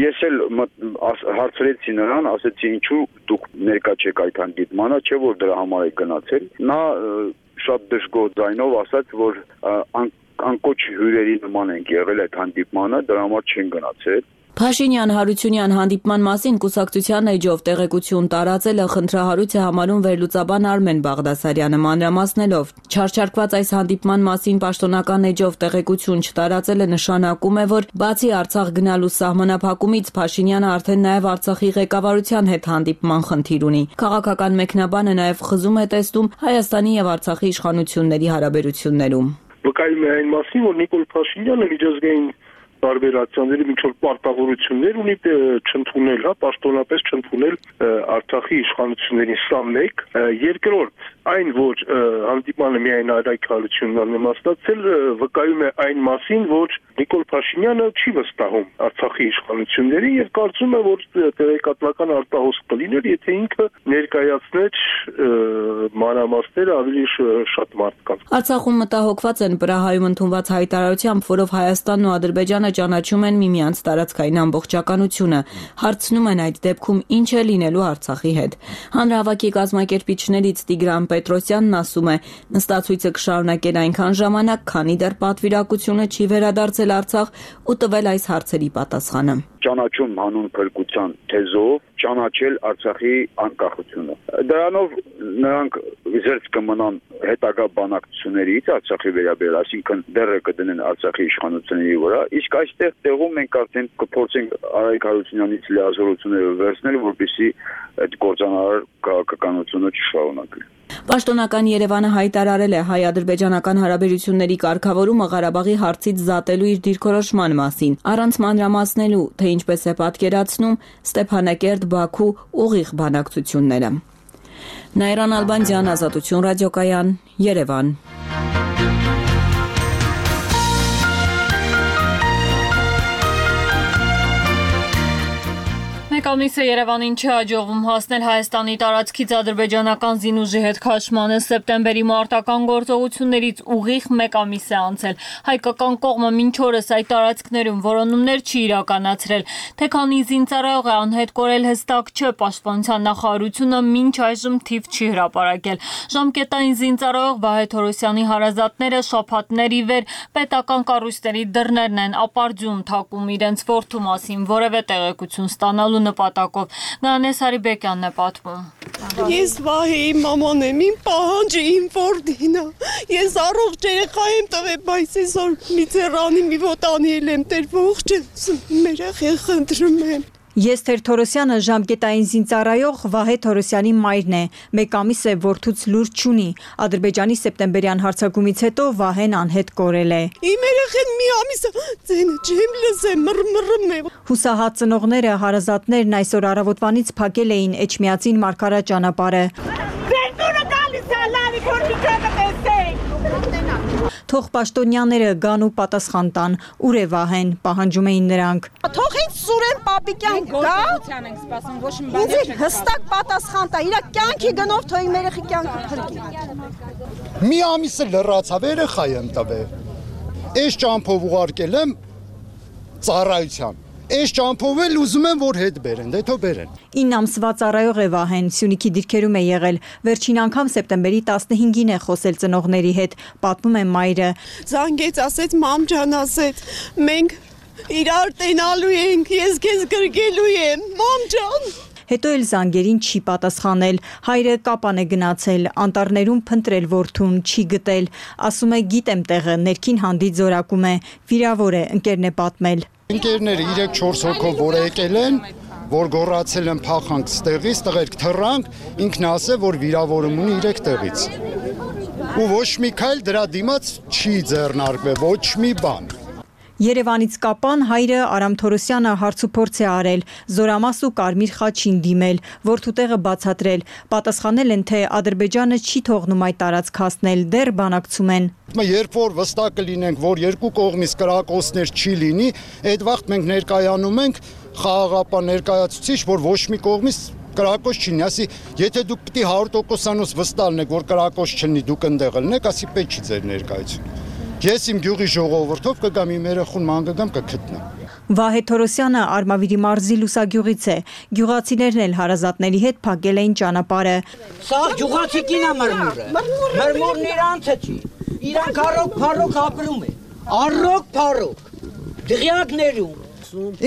Ես էլ հարցրեցի նրան, ասեցի ինչու դուք ներկա չեք այդ հանդիպմանը, չէ որ դրա համար եք գնացել։ Նա շատ դժգոհ ձայնով ասաց, որ անկոչ հյուրերի նման ենք եղել այդ հանդիպմանը, դրա համար չեն գնացել։ Փաշինյան-Հարությունյան հանդիպման մասին կուսակցության էջով տեղեկություն տարածել է խնդրահարույց է համարում վերլուծաբան Արմեն Բաղդասարյանը մանրամասնելով։ Չարչարկված այս հանդիպման մասին պաշտոնական էջով տեղեկություն չտարածելը նշանակում է, որ բացի Արցախ գնալու սահմանափակումից Փաշինյանը արդեն նաև Արցախի ղեկավարության հետ հանդիպման խնդիր ունի։ Քաղաքական մեկնաբանը նաև խզում է տեսնում Հայաստանի եւ Արցախի իշխանությունների հարաբերություններում։ Վկայում է այն մասին, որ Նիկոլ Փաշինյանը միջազգային տարբեր ակցիաների միջոց պարտավորություններ ունի չընդունել, հա, պաշտոնապես չընդունել Արցախի իշխանություններին, սա մեկ, երկրորդ, այն որ հանդիպանը միայն Արայիկ Հարությունյանն է մասնակցել, վկայում է այն մասին, որ Նիկոլ Փաշինյանը չի վստահում Արցախի իշխանություններին եւ կարծում է, որ տեղեկատվական արտահոսք կլիներ, եթե ինքը ներկայացներ մանրամասները ավելի շատ մարդկանց։ Արցախում մտահոգված են Պրահայում ընդունված հայտարարությամբ, որով Հայաստանն ու Ադրբեջանը ճանաչում են միմյանց տարածքային ամբողջականությունը, հարցնում են այդ դեպքում ինչ է լինելու Արցախի հետ։ Հանրահավաքի կազմակերպիչներից Տիգրան Պետրոսյանն ասում է, նստածույցը կշարունակել այնքան ժամանակ, քանի դեռ պատվիրակությունը չի վերադարձել Արցախ ու տվել այս հարցերի պատասխանը։ Ճանաչում հանուն փրկության թեզով ճանաչել Արցախի անկախությունը։ Դրանով նրանք զերծ կմնան հետագա բանակցություններից Արցախի վերաբերյալ, այսինքն դեռ կդնեն Արցախի իշխանությունների վրա, իսկ այստեղ տեղում մենք արդեն կփորձենք Արայիկ Հարությունյանից լիազորությունները վերցնել, որպեսզի այդ կործանարար քաղաքականությունը չշարունակվի։ Պաշտոնական Երևանը հայտարարել է հայ-ադրբեջանական հարաբերությունների կարգավորումը Ղարաբաղի հարցից զատելու իր դիրքորոշման մասին, առանց մանրամասնելու, թե ինչպես է պատկերացնում Ստեփանակերտ-Բաքու ուղիղ բանակցությունները։ Նայրան Ալբանդյան, Ազատություն ռադիոկայան, Երևան։ Մեկ ամիս է Երևանին չի հաջողվում հասնել Հայաստանի տարածքից ադրբեջանական զինուժի հետ քաշմանը։ Սեպտեմբերի մարտական գործողություններից ուղիղ մեկ ամիս է անցել։ Հայկական կողմը մինչ օրս այդ տարածքներում որոնումներ չի իրականացրել։ Թե քանի զինծառայող է անհետ կորել հստակ չէ, պաշտպանության նախարարությունը մինչ այժմ թիվ չի հրապարակել։ Ժամկետային զինծառայող Վահե Թորոսյանի հարազատները շաբաթներ ի վեր պետական կառույցների դռներն են ապարդյուն թակում իրենց որդու մասին որևէ տեղեկություն ստանալու նպատակով։ Գանես Հարիբեկյանն է պատմում։ Ես Վահեի մաման եմ, իմ պահանջը իմ որդին է։ Ես առողջ երեխա եմ տվել, բայց այսօր մի ձեռանի մի ոտանի եմ, Տեր ողջ մեր երեխան խնդրում եմ։ Ես Թերթորոսյանը ժամկետային զինծառայող Վահե Թորոսյանի մայրն է։ Մեկ ամիս է որդուց լուր չունի։ Ադրբեջանի սեպտեմբերյան հարձակումից հետո Վահեն անհետ կորել է։ Իմ երեխան մի ամիս ձենը չեմ լսեմ, մռմռում է։ Հուսահատ ծնողները, հարազատներն այսօր առավոտվանից փակել էին Էջմիածին Մարգարա ճանապարհը։ Թող պաշտոնյաները գան ու պատասխան տան, ուր է Վահեն, պահանջում էին նրանք։ Թող ինձ Սուրեն Պապիկյան գա։ Ինձ հստակ պատասխան տա, իր կյանքի գնով թող իմ երեխի կյանքը փրկի։ Մի ամիսը լրացավ, երեխա եմ տվել։ Այս ճամփով ուղարկել եմ ծառայության։ Այս ճամփով էլ ուզում եմ, որ հետ բերեն, դե թող բերեն։ ինը ամսվա ծառայող է Վահեն, Սյունիքի դիրքերում է եղել։ Վերջին անգամ սեպտեմբերի տասնհինգին է խոսել ծնողների հետ, պատմում է մայրը։ Զանգեց, ասեց, մամ ջան, ասեց, մենք իրար տենալու ենք, ես քեզ գրգելու եմ, մամ ջան։ Հետո էլ զանգերին չի պատասխանել, հայրը կապան է գնացել, անտառներում փնտրել որդուն, չի գտել, ասում է գիտեմ տեղը, ներքին հանդիտ զորակում է, վիրավոր է, ընկերն է պատմել։ Ընկերները երեք-չորս հոգով որ եկել են, որ գոռացել են փախանք ստեղից, տղերք թռանք, ինքն ասել, որ վիրավորում ունի երեք տեղից։ Ու ոչ մի քայլ դրա դիմաց չի ձեռնարկվել, ոչ մի բան։ Երևանից կապան հայրը Արամ Թորոսյանը հարցուփորձ է արել, Զորամաս ու Կարմիր խաչին դիմել, որդու տեղը բացատրել, պատասխանել են, թե Ադրբեջանը չի թողնում այդ տարածք հասնել, դեռ բանակցում են։ Երբ որ վստահ կլինենք, որ երկու կողմից կրակոցներ չի լինի, այդ վաղտ մենք ներկայանում ենք խաղաղապահ ներկայացուցիչ, որ ոչ մի կողմից կրակոց չլինի, ասի, եթե դուք պիտի հարյուր տոկոսանոց վստահ լինեք, որ կրակոց չլինի, դուք ընդեղ ելնեք, ասի պետք չի ձեր ներկայությունը։ Ես իմ գյուղի ժողովրդով կգամ իմ երեխուն ման կգամ կգտնեմ։ Վահե Թորոսյանը Արմավիրի մարզի Լուսագյուղից է։ Գյուղացիներն էլ հարազատների հետ փակել էին ճանապարհը։ Սա գյուղացի կինա մրմուրը։ Մրմուրն իրանց է չի։ Իրանք առոք փառոք ապրում է։ Առոք փառոք։ Դղյակներում։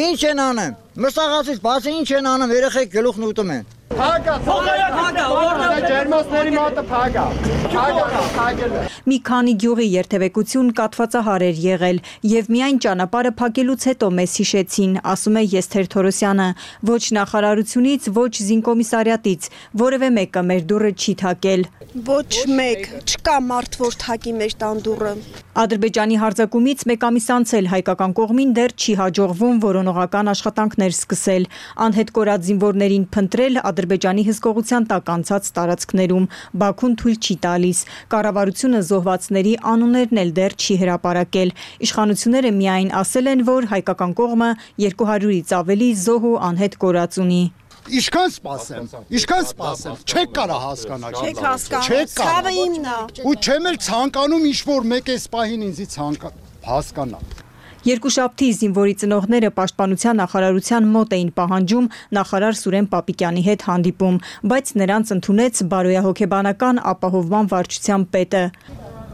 Ինչ են անեմ։ Մսաղացից բացի ինչ են անեմ, երեխեք գլուխն ուտում են։ Փագա, փագա, որտե ջերմոցների մոտը փագա։ Փագա, փագել։ Մի քանի գյուղի երթևեկություն կատվածահար էր եղել եւ միայն ճանապարհը փակելուց հետո մեզ հիշեցին, ասում է Եսթեր Թորոսյանը, ոչ նախարարությունից, ոչ զինկոմիսարիատից, որևէ մեկը մեր դուռը չի թակել։ Ոչ մեկ, չկա մարդ, որ թակի մեր տան դուռը։ Ադրբեջանի հարձակումից մեկ ամիս անցել հայկական կողմին դեռ չի հաջողվում որոնողական աշխատանքներ սկսել, անհետ կորած զինվորներին փնտրել Ադրբեջանի հսկողության տակ անցած տարածքներում, Բաքուն թույլ չի տալիս, կառավարությունը զոհվածների անուններն էլ դեռ չի հրապարակել, իշխանությունները միայն ասել են, որ հայկական կողմը երկու հարյուրից ավելի զոհ ու անհետ կորած ունի։ Ինչքան սպասեմ, ինչքան սպասեմ, չեք կարա հասկանալ։ Չեք հասկանում, ցավը իմն է։ Ու չեմ էլ ցանկանում ինչ-որ մեկ էս պահին ինձի ցանկ հասկանալ։ Երկուշաբթի զինվորի ծնողները պաշտպանության նախարարության մոտ էին պահանջում նախարար Սուրեն Պապիկյանի հետ հանդիպում, բայց նրանց ընդունեց բարոյահոգեբանական ապահովման վարչության պետը։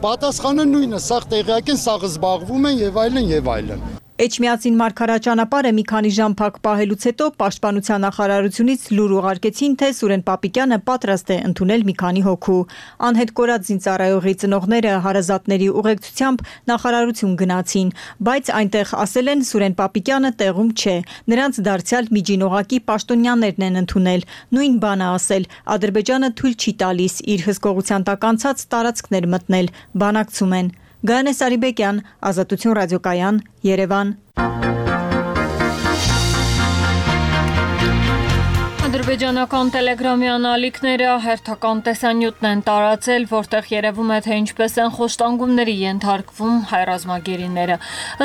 Պատասխանը նույնը, սաղ տեղյակ են, սաղ զբաղվում են եւ այլն եւ այլն։ Էջմիածին մարգարաճանապարհը մի քանի ժամ փակ պահելուց հետո պաշտպանության նախարարությունից լուր ուղարկեցին, թե Սուրեն Պապիկյանը պատրաստ է ընդունել մի քանի հոգու։ Անհետ կորած զինծառայողի ծնողները հարազատների ուղեկցությամբ նախարարություն գնացին, բայց այնտեղ ասել են Սուրեն Պապիկյանը տեղում չէ։ Նրանց դարձյալ միջինողակի պաշտոնյաներն են ընդունել։ Նույն բանը ասել, Ադրբեջանը թույլ չի տալիս իր հսկողության տակ անցած տարածքներ մտնել, բանակցում են։ Գայանե Սարիբեկյան, Ազատություն ռադիոկայան, Երևան։ Ադրբեջանական տելեգրամի անալիքները հերթական տեսանյութն են տարածել, որտեղ երևում է, թե ինչպես են խոշտանգումների ենթարկվում հայ ռազմագերիները։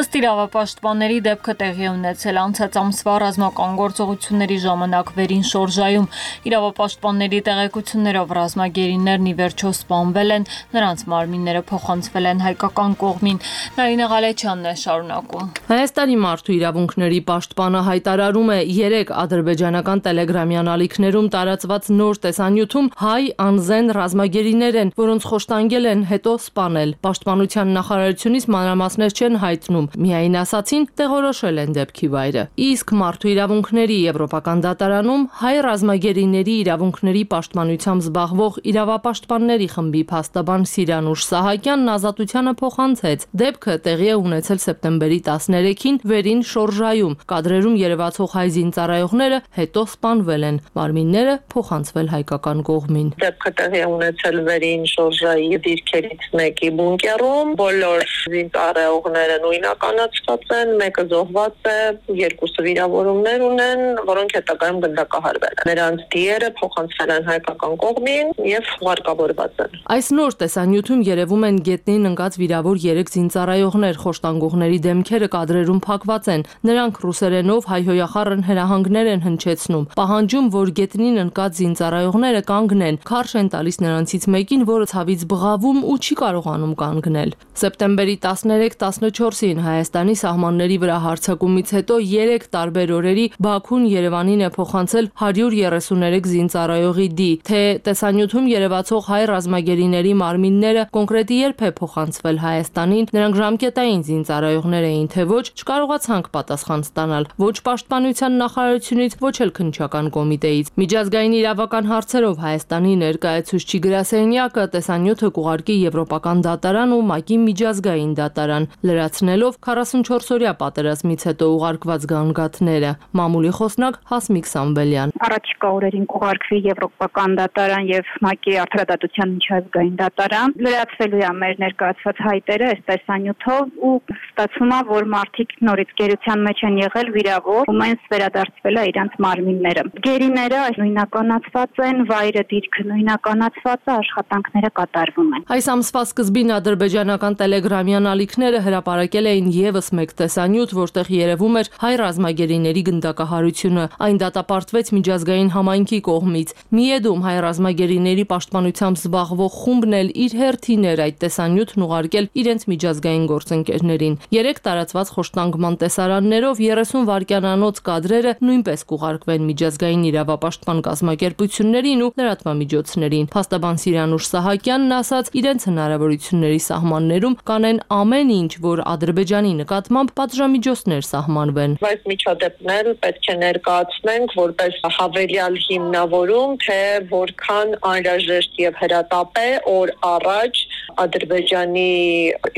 Ըստ իրավապաշտպանների դեպքը տեղի է ունեցել անցած ամսվա ռազմական գործողությունների ժամանակ վերին շորժայում։ Իրավապաշտպանների տեղեկություններով ռազմագերիներն ի վերջո սպանվել են, նրանց մարմինները փոխանցվել են հայկական կողմին։ Նարինե Ղալեչյանն է շարունակում։ Հայաստանի մարդու իրավունքների պաշտպանը հայտարարում է երեք ադրբեջանական տելեգրամի անալիքներում տարածված նոր տեսանյութում հայ անզեն ռազմագերիներ են, որոնց խոշտանգել են, հետո սպանել։ Պաշտպանության նախարարությունից մանրամասներ չեն հայտնում, միայն ասացին տեղորոշել են դեպքի վայրը։ Իսկ մարդու իրավունքների եվրոպական դատարանում հայ ռազմագերիների իրավունքների պաշտպանությամբ զբաղվող իրավապաշտպանների խմբի փաստաբան Սիրանուշ Սահակյանն ազատությանը փոխանցեց։ Դեպքը տեղի է ունեցել սեպտեմբերի տասներեքին վերին շորժայում։ Կադրերում երևացող հայ զինծառայողները հետո սպանվել են։ Մարմինները փոխանցվել հայկական կողմին։ Դեպքը տեղի ունեցել վերին շորժայի դիրքերից մեկի բունկերում, բոլոր զինծառայողները նույնականացված են, մեկը զոհված է, երկուսը վիրավորումներ ունեն, որոնք հետագայում գնդակահարվել են։ Նրանց դիերը փոխանցվել են հայկական կողմին եւ ուղարկավորված են։ Այս նոր տեսանյութում երևում են գետնին ընկած վիրավոր երեք զինծառայողներ, խոշտանգողների դեմքերը կադրերում փակված են։ Նրանք ռուսերենով հայհոյախառն հրահանգներ են հնչեցնում, պահանջում, որ գետնին ընկած զինծառայողները կանգնեն, քարշ են տալիս նրանցից մեկին, որը ցավից բղավում ու չի կարողանում կանգնել։ Սեպտեմբերի տասներեք տասնչորսին Հայաստանի սահմանների վրա հարձակումից հետո երեք տարբեր օրերի Բաքուն Երևանին է փոխանցել հարյուր երեսուներեք զինծառայողի դի, թե տեսանյութում երևացող հայ ռազմագերիների մարմինները կոնկրետի երբ է փոխանցվել Հայաստանին, նրանք ժամկետային զինծառայողներ էին, թե ոչ, չկարողացանք պատասխան ստանալ ոչ Պաշտպանության նախարարությունից, ոչ էլ քննչական կոմիտեից։ Միջազգային իրավական հարցերով Հայաստանի ներկայացուցիչ գրասենյակը տեսանյութը կուղարկի Եվրոպական դատարան ու ՄԱԿ-ի միջազգային դատարան, լրացնելով քառասունչորս-օրյա պատերազմից հետո ուղարկված գանգատները։ Մամուլի խոսնակ Հասմիկ Սամվելյան։ Առաջիկա օրերին կուղարկվի Եվրոպական դատարան եւ ՄԱԿ-ի արդարադատության միջազգային դատարան։ Լրացվելու է մեր ներկայացված հայտերը այս տեսանյութով ու ստացվում է, որ մարդիկ նորից գերության մեջ են եղել վիրավոր ու մենս վերադարձվել է իրանց մարմինները։ Գերիները նույնականացված են, վայրը դիրքը նույնականացված է, աշխատանքները կատարվում են։ Այս ամսվա սկզբին ադրբեջանական տելեգրամյան ալիքները հրապարակել էին եւս մեկ տեսանյութ, որտեղ երևում էր հայ ռազմագերիների գնդակահարությունը։ Այն դատապարտվեց միջազգային համայնքի կողմից։ Միեդում հայ ռազմագերիների պաշտպանությամբ զբաղվող խումբն էլ իր հերթին էր այդ տեսանյութն ուղարկել իրենց միջազգային գործընկերներին։ Երեք տարածված խոշտանգման տեսարաններով երեսուն վայրկյանանոց կադրերը նույնպես կուղարկվեն միջազգային իրավապաշտպան կազմակերպություններին ու լրատվամիջոցներին։ Փաստաբան Սիրանուշ Սահակյանն ասաց, իրենց հնարավորությունների սահմաններում կանեն ամեն ինչ, որ Ադրբեջանի նկատմամբ պատժամիջոցներ սահմանվեն։ Այս միջադեպն էլ պետք է ներկայացնենք որպես հավելյալ հիմնավորում, թե որքան անհրաժեշտ եւ հրատապ է օր առաջ Ադրբեջանի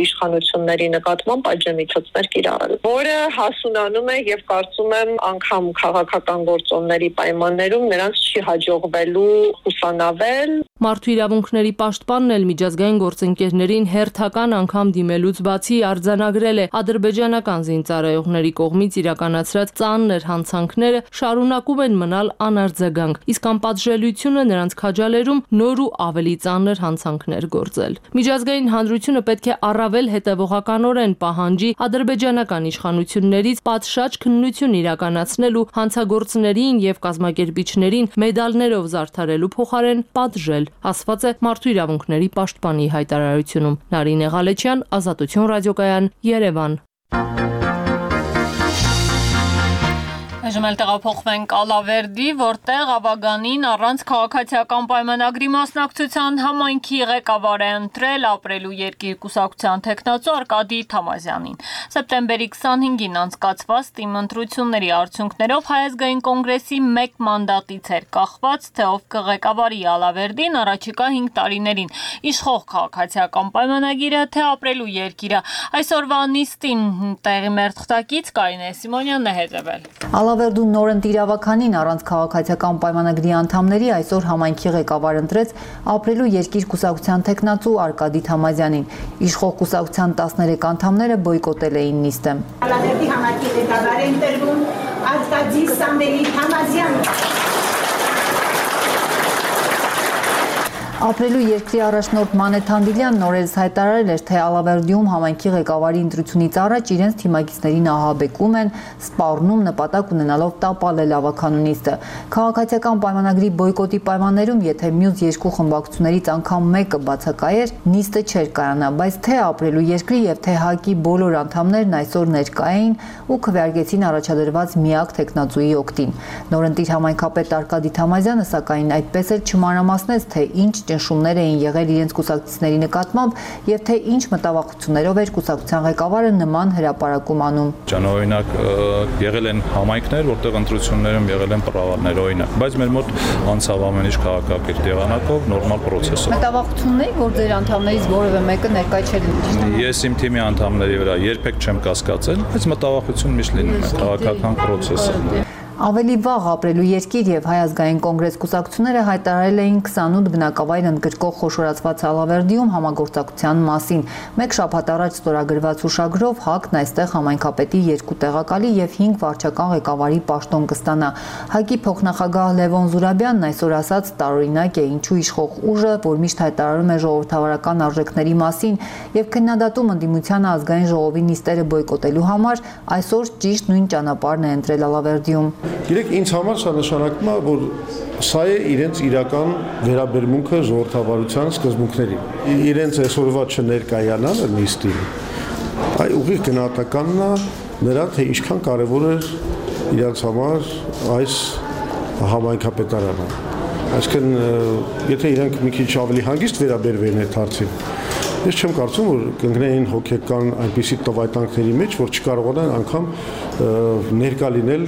իշխանությունների նկատմամբ պատժամիջոցներ կիրառել, որը հասունանում է եւ կարծում եմ անգամ քաղաքական գործոնների պայմաններում նրանց չի հաջողվելու ուսանավել։ Մարդու իրավունքների պաշտպանն էլ միջազգային գործընկերներին հերթական անգամ դիմելուց բացի արձանագրել է ադրբեջանական զինծառայողների կողմից իրականացրած ծանր հանցանքները շարունակում են մնալ անարձագանք, իսկ անպատժելիությունը նրանց քաջալերում նոր ու ավելի ծանր հանցանքներ գործել։ Միջազգային հանրությունը պետք է առավել հետևողականորեն պահանջի ադրբեջանական իշխանություններից պատշաճ քննություն իրականացնել ու հանցագործներին եւ կազմակերպիչներին մեդալներով զարդարելու փոխարեն պատժել, ասված է Մարդու իրավունքների պաշտպանի հայտարարությունում։ Նարինե Ղալեչյան, Ազատություն ռադիոկայան, Երևան։ Այժմ էլ տեղափոխվենք Ալավերդի, որտեղ Աբագանին առանց քաղաքացիական պայմանագրի մասնակցության համայնքի ղեկավար է ընտրել ապրելու երկիր կուսակցության տեխնացու Արկադի Թամազյանին։ Սեպտեմբերի քսանհինգին անցկացված թիմ ընտրությունների արդյունքներով Հայ ազգային կոնգրեսի մեկ մանդատից էր կախված, թե ով կղեկավարի Ալավերդին առաջիկա հինգ տարիներին, իշխող քաղաքացիական պայմանագիրը, թե ապրելու երկիրը։ Այսօրվա նիստին տեղի մեր թղթակից Կարինե Սիմոնյանն է հետևել։ Ալավերդու նորընտ իրավականին առանց քաղաքացիական պայմանագրի անդամների այսօր համայնքի ղեկավար ընտրեց ապրելու երկիր կուսակցության տեխնացու Արկադի Թամազյանին։ Իշխող կուսակցության տասներեք անդամները բոյկոտել էին նիստը։ Ալավերդի համայնքի ղեկավար է ընտրվում Արկադի Սամվելի Թամազյանը։ Ապրելու երկրի առաջնորդ Մանեթ Հանդիլյանն օրերս հայտարարել էր, թե Ալավերդիում համայնքի ղեկավարի ընտրությունից առաջ իրենց թիմակիցներին ահաբեկում են, սպառնում նպատակ ունենալով տապալել ավականու նիստը։ Քաղաքացիական պայմանագրի բոյկոտի պայմաններում, եթե մյուս երկու խմբակցություններից անգամ մեկը բացակայեր, նիստը չէր կայանա, բայց թե ապրելու երկրի եւ թե ՀԱԿ-ի բոլոր անդամներն այսօր ներկա էին ու քվեարկեցին առաջադրված միակ տեխնացուի օգտին։ Նորընտիր համայնքապետ Արկադի Թամազյանը սակայն այդպես էլ չմանրամասնեց, թե ինչ ճնշումներ էին եղել իրենց կուսակցիչների նկատմամբ եւ թե ինչ մտավախություններով էր կուսակցության ղեկավարը նման հրապարակում անում։ Ճանօրինակ եղել են համայնքներ, որտեղ ընտրություններում եղել են պրավալներ, օրինակ, բայց մեր մոտ անցավ ամեն ինչ քաղաքակիրթ եղանակով նորմալ պրոցեսով։ Մտավախություններ, որ ձեր անդամներից որևէ մեկը ներկայ չէր լինի։ Ես իմ թիմի անդամների վրա երբեք չեմ կասկածել, բայց մտավախություն միշտ լինում է քաղաքական պրոցեսը։ Ավելի վաղ ապրելու երկիր եւ Հայ ազգային կոնգրես կուսակցությունները հայտարարել էին քսանութ բնակավայր ընդգրկող խոշորացված Ալավերդիում համագործակցության մասին։ Մեկ շաբաթ առաջ ստորագրված հուշագրով ՀԱԿ-ն այստեղ համայնքապետի երկու տեղակալի եւ հինգ վարչական ղեկավարի պաշտոն կստանա։ ՀԱԿ-ի փոխնախագահ Լևոն Զուրաբյանն այսօր ասաց տարօրինակ է ինչու իշխող ուժը, որ միշտ հայտարարում է ժողովրդավարական արժեքների մասին եւ քննադատում ընդդիմությանը ազգային ժողովի նիստերը բոյկոտելու համար, այսօր ճիշտ նույն ճանապարհն է ընտրել Ալավերդիում։ Գիտեք, ինձ համար սա նշանակում է, որ սա է իրենց իրական վերաբերմունքը ժողովրդավարության սկզբունքներին։ Իրենց այսօրվա չներկայանալը նիստին, այ ուղիղ գնահատականն է նրա, թե ինչքան կարևոր է իրենց համար այս համայնքապետարանը։ Այսինքն, եթե իրենք մի քիչ ավելի հանգիստ վերաբերվեն այդ հարցին, ես չեմ կարծում, որ կընկնեին հոգեկան այնպիսի տվայտանքների մեջ, որ չկարողանան անգամ ներկա լինել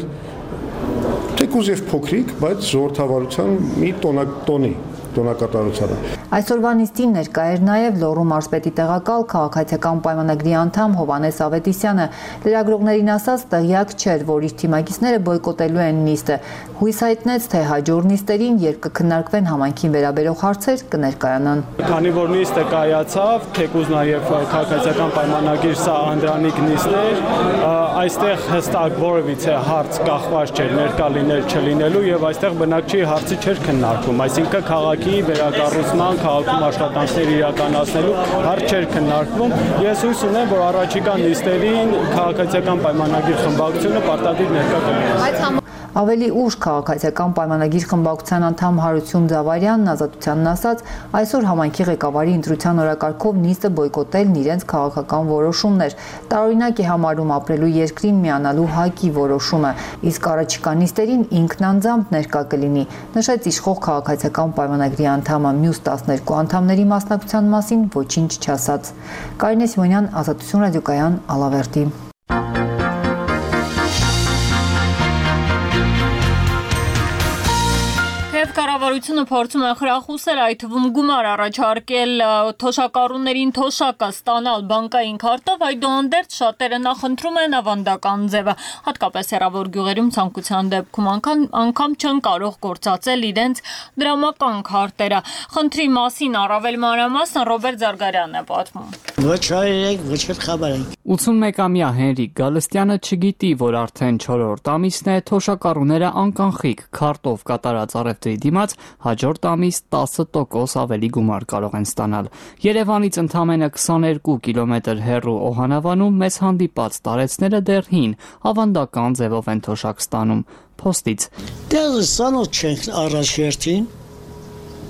թեկուզ եւ փոքրիկ, բայց ժողովրդավարության մի տոնի, տոնակատարությանը։ Այսօրվա նիստին ներկա էր նաև Լոռու մարզպետի տեղակալ քաղաքացիական պայմանագրի անդամ Հովհաննես Ավետիսյանը։ Լրագրողներին ասաց, տեղյակ չէր, որ իր թիմակիցները բոյկոտելու են նիստը։ Հույս հայտնեց, թե հաջորդ նիստերին, երբ կքննարկվեն համայնքին վերաբերող հարցեր, կներկայանան։ Քանի որ նիստը կայացավ, թեկուզ նաև քաղաքացիական պայմանագիր սա անդրանիկ նիստներ, այստեղ հստակ որևիցե հարց կախված չէր ներկա լինել չլինելու եւ այստեղ բնակչի հարցի չէր քննարկվում, այսինքն քաղաքի վերակառուցման, քաղաքում աշխատանքներ իրականացնելու հարց չէր քննարկվում։ Ես հույս ունեմ, որ առաջիկա նիստերին քաղաքացիական պայմանագիր խմբակցությունը պարտադիր ներկա կլինի։ Ավելի ուշ քաղաքացիական պայմանագիր խմբակցության անդամ Հարություն Ձավարյանն Ազատությանն ասաց, այսօր համայնքի ղեկավարի ընտրության օրակարգով նիստը բոյկոտելն իրենց քաղաքական որոշումներ։ Տարօրինակ է համարում ապրելու երկրին միանալու ՀԱԿ-ի որոշումը, իսկ առաջիկա նիստերին ինքն անձամբ ներկա կլինի, նշեց իշխող քաղաքացիական պայմանագրի անդամը, մյուս տասներկու անդամների մասնակցության մասին ոչինչ չասաց։ Կարինե Սիմոնյան, Ազատություն ռադիոկայան, Ալավերդի։ Կառավարությունը փորձում է խրախուսել, այդ թվում գումար առաջարկել թոշակառուներին թոշակը ստանալ բանկային քարտով, այդուհանդերձ շատերը նախընտրում են ավանդական ձևը, հատկապես հեռավոր գյուղերում ցանկության դեպքում անգամ չեն կարող գործածել իրենց դրամական քարտերը։ Խնդրի մասին առավել մանրամասն Ռոբերտ Զարգարյանն է պատմում։ Ոչ հայերեք, ոչ խաբարենք։ ութսունմեկամյա Հենրիկ Գալստյանը չգիտի, որ արդեն չորրորդ ամիսն է թոշակառուները անկանխիկ քարտով կատարած առևտրի դիմաց հաջորդ ամիս տասը տոկոս ավելի գումար կարող են ստանալ։ Երևանից ընդամենը քսաներկու կիլոմետր հեռու Օհանավանում մեզ հանդիպած տարեցները դեռ հին ավանդական ձևով են թոշակ ստանում փոստից։ Դեռ սանոց չենք առաջերտին,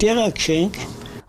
տեղակ չենք։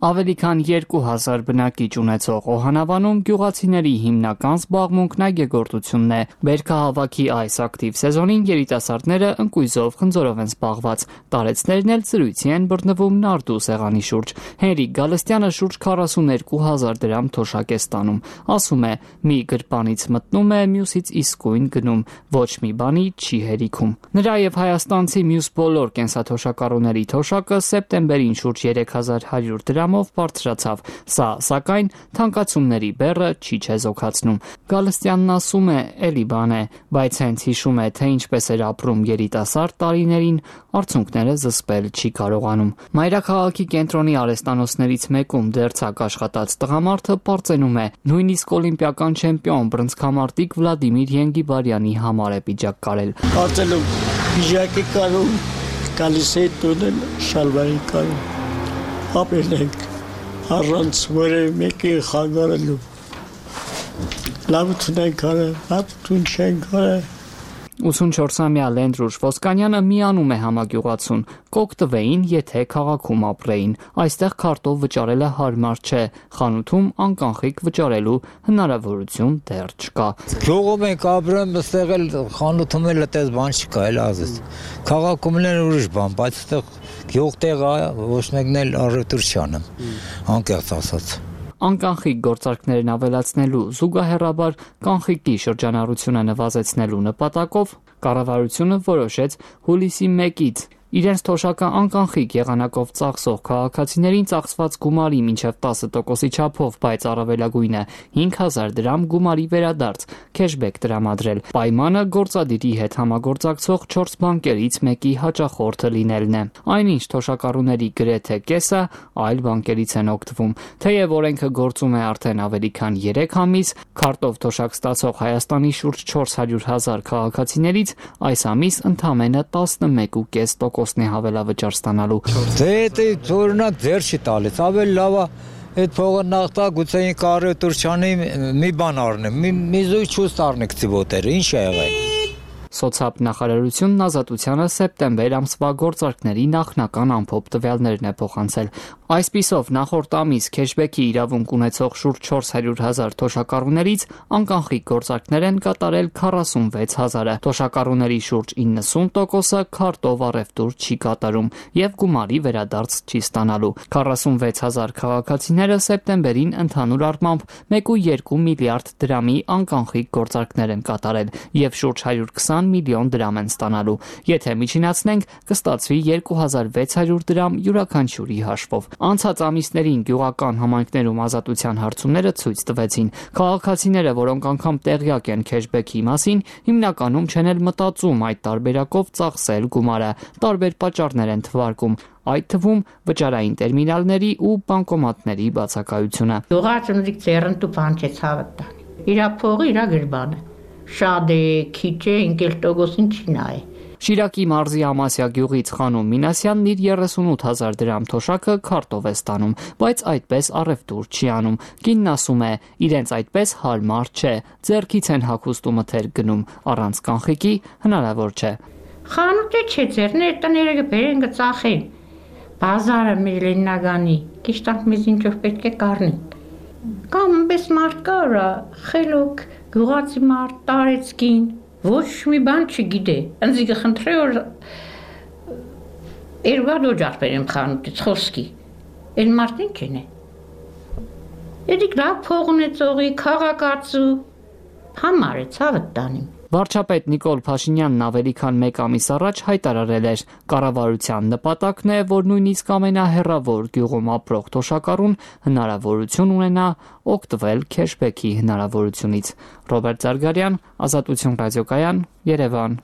Ավելի քան երկու հազար բնակիչ ունեցող Օհանավանում գյուղացիների հիմնական զբաղմունքն այգեգործությունն է։ Բերքահավաքի այս ակտիվ սեզոնին երիտասարդները ընկույզով խնձորով են զբաղված, տարեցներն էլ զրույցի են բռնվում նարդու սեղանի շուրջ։ Հենրիկ Գալստյանը շուրջ քառասուներկու հազար դրամ թոշակ է ստանում, ասում է՝ մի գրպանից մտնում է, մյուսից իսկույն գնում, ոչ մի բանի չի հերիքում։ Նրա եւ հայաստանցի մյուս բոլոր կենսաթոշակառուների թոշակը սեպտեմբերին շուրջ երեք հազար հարյուր դրամով բարձրացավ։ Սա, սակայն, թանկացումների բեռը չի չեզոքացնում։ Գալստյանն ասում է՝ էլի բան է, բայց հենց հիշում է, թե ինչպես էր ապրում երիտասարդ տարիներին, արցունքները զսպել չի կարողանում։ Մայրաքաղաքի կենտրոնի արհեստանոցներից մեկում դերձակ աշխատած տղամարդը պարծենում է, նույնիսկ օլիմպիական չեմպիոն բռնցքամարտիկ Վլադիմիր Ենգիբարյանի համար է պիջակ կարել։ Կարծելով պիջակի կարում, գալիս է տունը շալվարի կարում։ Ապրել ենք առանց որևէ մեկի խանգարելու։ Լավություն ենք արել, լավություն չենք արել։ ութսունչորսամյա Լենդրուշ Ոսկանյանը միանում է համագյուղացուն, կօգտվեին, եթե քաղաքում ապրեին։ Այստեղ քարտով վճարելը հարմար չէ, խանութում անկանխիկ վճարելու հնարավորություն դեռ չկա։ Գյուղում ենք ապրում, այստեղ էլ խանութում էլ այդպես բան չկա, էլ ազես։ Քաղաքում էլ ուրիշ բան, բայց այստեղ գյուղ տեղը ոչ մեկն էլ առևտուր չի անում, անկեղծ ասած։ Անկանխիկ գործարքներն ավելացնելու, զուգահեռաբար կանխիկի շրջանառությունը նվազեցնելու նպատակով կառավարությունը որոշեց հուլիսի մեկից Իրենց թոշակը անկանխիկ եղանակով ծախսող քաղաքացիներին ծախսված գումարի մինչև տասը տոկոսի չափով, բայց առավելագույնը հինգ հազար դրամ գումարի վերադարձ քեշբեք տրամադրել։ Պայմանը գործադիրի հետ համագործակցող չորս բանկերից մեկի հաճախորդը լինելն է։ Այնինչ թոշակառուների գրեթե կեսը այլ բանկերից են օգտվում։ Թեև օրենքը գործում է արդեն ավելի քան երեք ամիս, քարտով թոշակ ստացող Հայաստանի շուրջ չորս հարյուր հազար քաղաքացիներից այս ամիս ընդամենը տասնմեկ կoma պենս տոկոսն է հավելավճար ստանալու։ Դե դե օրինակ ձեր չի տալիս, ավելի լավ է այդ փողը նախտա գուցե կարի տուրչանի մի բան առնեմ, մի մի զույգ չուս առնեք ծիվոտերը, ինչ է եղել։ Սոցիալ նախարարությունն Ազատությանը սեպտեմբեր ամսվա գործարքների նախնական ամփոփ տվյալներն է փոխանցել։ Այսպիսով նախորդ ամիս քեշբեքի իրավունք ունեցող շուրջ չորս հարյուր հազար թոշակառուներից անկանխիկ գործարքներ են կատարել քառասունվեց հազարը։ Թոշակառուների շուրջ իննսուն տոկոսը քարտով առևտուր չի կատարում եւ գումարի վերադարձ չի ստանալու։ քառասունվեց հազար քաղաքացիները սեպտեմբերին ընդհանուր առմամբ մեկ կoma երկու միլիարդ դրամի անկանխիկ գործարքներ են կատարել եւ շուրջ հարյուր քսան միլիոն դրամ են ստանալու։ Եթե միջինացնենք, կստացվի երկու հազար վեց հարյուր դրամ յուրաքանչյուրի հաշվով։ Անցած ամիսներին գյուղական համայնքներում ազատության հարցումները ցույց տվեցին։ Քաղաքացիները, որոնք անգամ տեղյակ են քեշբեքի մասին, հիմնականում չեն էլ մտածում այդ տարբերակով ծախսել գումարը։ Տարբեր պատճառներ են թվարկում, այդ թվում վճարային տերմինալների ու բանկոմատների բացակայությունը։ Գյուղացիների ծերնտու բան չէ ցավը տան։ Իրա փողը իրա գրբանը։ Շատ է, քիչ է, ինքել տոկոսին չի նայ։ Շիրակի մարզի Ամասիա գյուղից Խանոմ Մինասյանն իր երեսունութ հազար դրամ թոշակը քարտով է ստանում, բայց այդպես առևտուր չի անում։ Կինն ասում է, իրենց այդպես հարմար չէ, ձեռքից են հագուստ ու մթեր գնում, առանց կանխիկի հնարավոր չէ։ Խանութը չէ, ձեռներ տները բերեն գծախեն։ Բազարը մեր Լենինագանի, կիշտանք մեզ ինչով պետք է կառնի։ Կամ պես մարդ կարա, խելոք, գյուղացի մարդ, տարեցկին, ոչ մի բան չգիտե։ Ընձի կխնդրե որ երկու դոջախ բերեմ խանութից խոսքի։ Այն մարդին չեն է։ Էդիկ լավ փող ունեցողի, քաղաքացու համար է ցավը տանիմ։ Վարչապետ Նիկոլ Փաշինյանն ավելի քան մեկ ամիս առաջ հայտարարել էր. կառավարության նպատակն է, որ նույնիսկ ամենահեռավոր գյուղում ապրող թոշակառուն հնարավորություն ունենա օգտվել քեշբեքի հնարավորությունից։ Ռոբերտ Զարգարյան, Ազատություն ռադիոկայան, Երևան։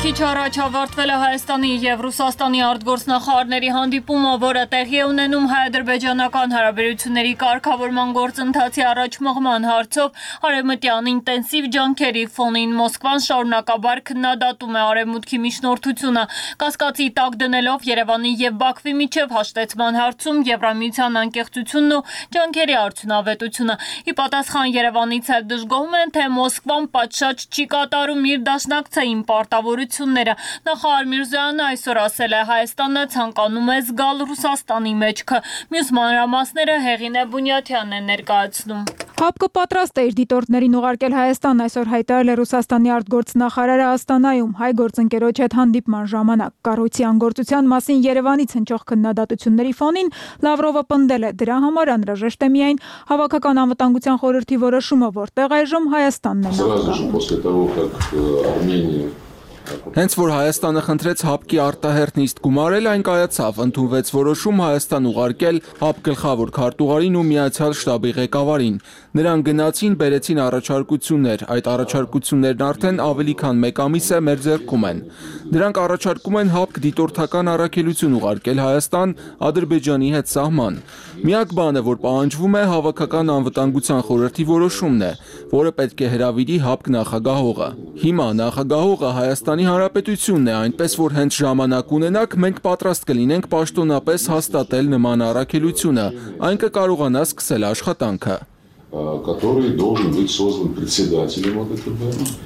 Քիչ առաջ ավարտվել է Հայաստանի եւ Ռուսաստանի արտգործնախարարների հանդիպումը, որը տեղի է ունենում հայ-ադրբեջանական հարաբերությունների կարգավորման գործընթացի առաջմղման հարցով արևմտյան ինտենսիվ ջանքերի ֆոնին Մոսկվան շարունակաբար քննադատում է արևմուտքի միջնորդությունը, կասկածի տակ դնելով Երևանի եւ Բաքվի միջև հաշտեցման հարցում Եվրամիության անկեղծությունն ու ջանքերի արդյունավետությունը։ Ի պատասխան Երևանից էլ դժգոհում են, թե Մոսկվան պատշաճ չի կատարում իր դաշնակցային պարտավորությունները։ Նախարար Միրզոյանը այսօր ասել է, Հայաստանը ցանկանում է զգալ Ռուսաստանի մեջքը։ Մյուս մանրամասները Հեղինե Բունյաթյանն է ներկայացնում։ ՀԱՊԿ պատրաստ է իր դիտորդներին ուղարկել Հայաստան, այսօր հայտարարել է Ռուսաստանի արտգործնախարարը Աստանայում հայ գործընկերոջ հետ հանդիպման ժամանակ։ Կառույցի անգործության մասին Երևանից հնչող քննադատությունների ֆոնին Լավրովը պնդել է, դրա համար անհրաժեշտ է միայն հավաքական անվտանգության խորհրդի որոշումը, որտեղ այժմ Հայաստանն է։ Հենց որ Հայաստանը խնդրեց ՀԱՊԿ-ի արտահերթ նիստ գումարել, այն կայացավ, ընդունվեց որոշում Հայաստան ուղարկել ՀԱՊԿ գլխավոր քարտուղարին ու Միացյալ շտաբի ղեկավարին։ Նրանք գնացին, բերեցին առաջարկություններ, այդ առաջարկություններն արդեն ավելի քան մեկ ամիս է մեր ձեռքում են։ Դրանք առաջարկում են ՀԱՊԿ դիտորդական առաքելություն ուղարկել Հայաստան Ադրբեջանի հետ սահման։ Միակ բանը, որ պահանջվում է, հավաքական անվտանգության խորհրդի որոշումն է, որը պետք է հրավիրի ՀԱՊԿ նախագահողը։ Հիմա նախագահողը Հայաստանի Հանրապետությունն է, այնպես որ հենց ժամանակ ունենաք, մենք պատրաստ կլինենք պաշտոնապես հաստատել նման առաքելությունը, այն կկարողանա սկսել աշխատանքը։ Который должен быть создан председателем ОДКБ.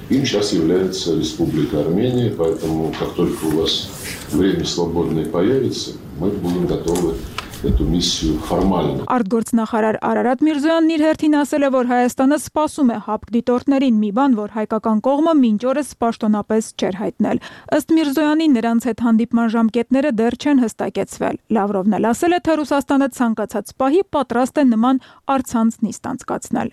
Им сейчас является Республика Армения, поэтому как только у вас время свободное появится, мы будем готовы эту миссию формально. Արտգործնախարար Արարատ Միրզոյանն իր հերթին ասել է, որ Հայաստանը սպասում է ՀԱՊԿ դիտորդներին, մի բան, որ հայկական կողմը մինչ օրս պաշտոնապես չէր հայտնել։ Ըստ Միրզոյանի, նրանց հետ հանդիպման ժամկետները դեռ չեն հստակեցվել։ Լավրովն էլ ասել է, թե Ռուսաստանը ցանկացած պահի պատրաստ է նման առցանց նիստ անցկացնել։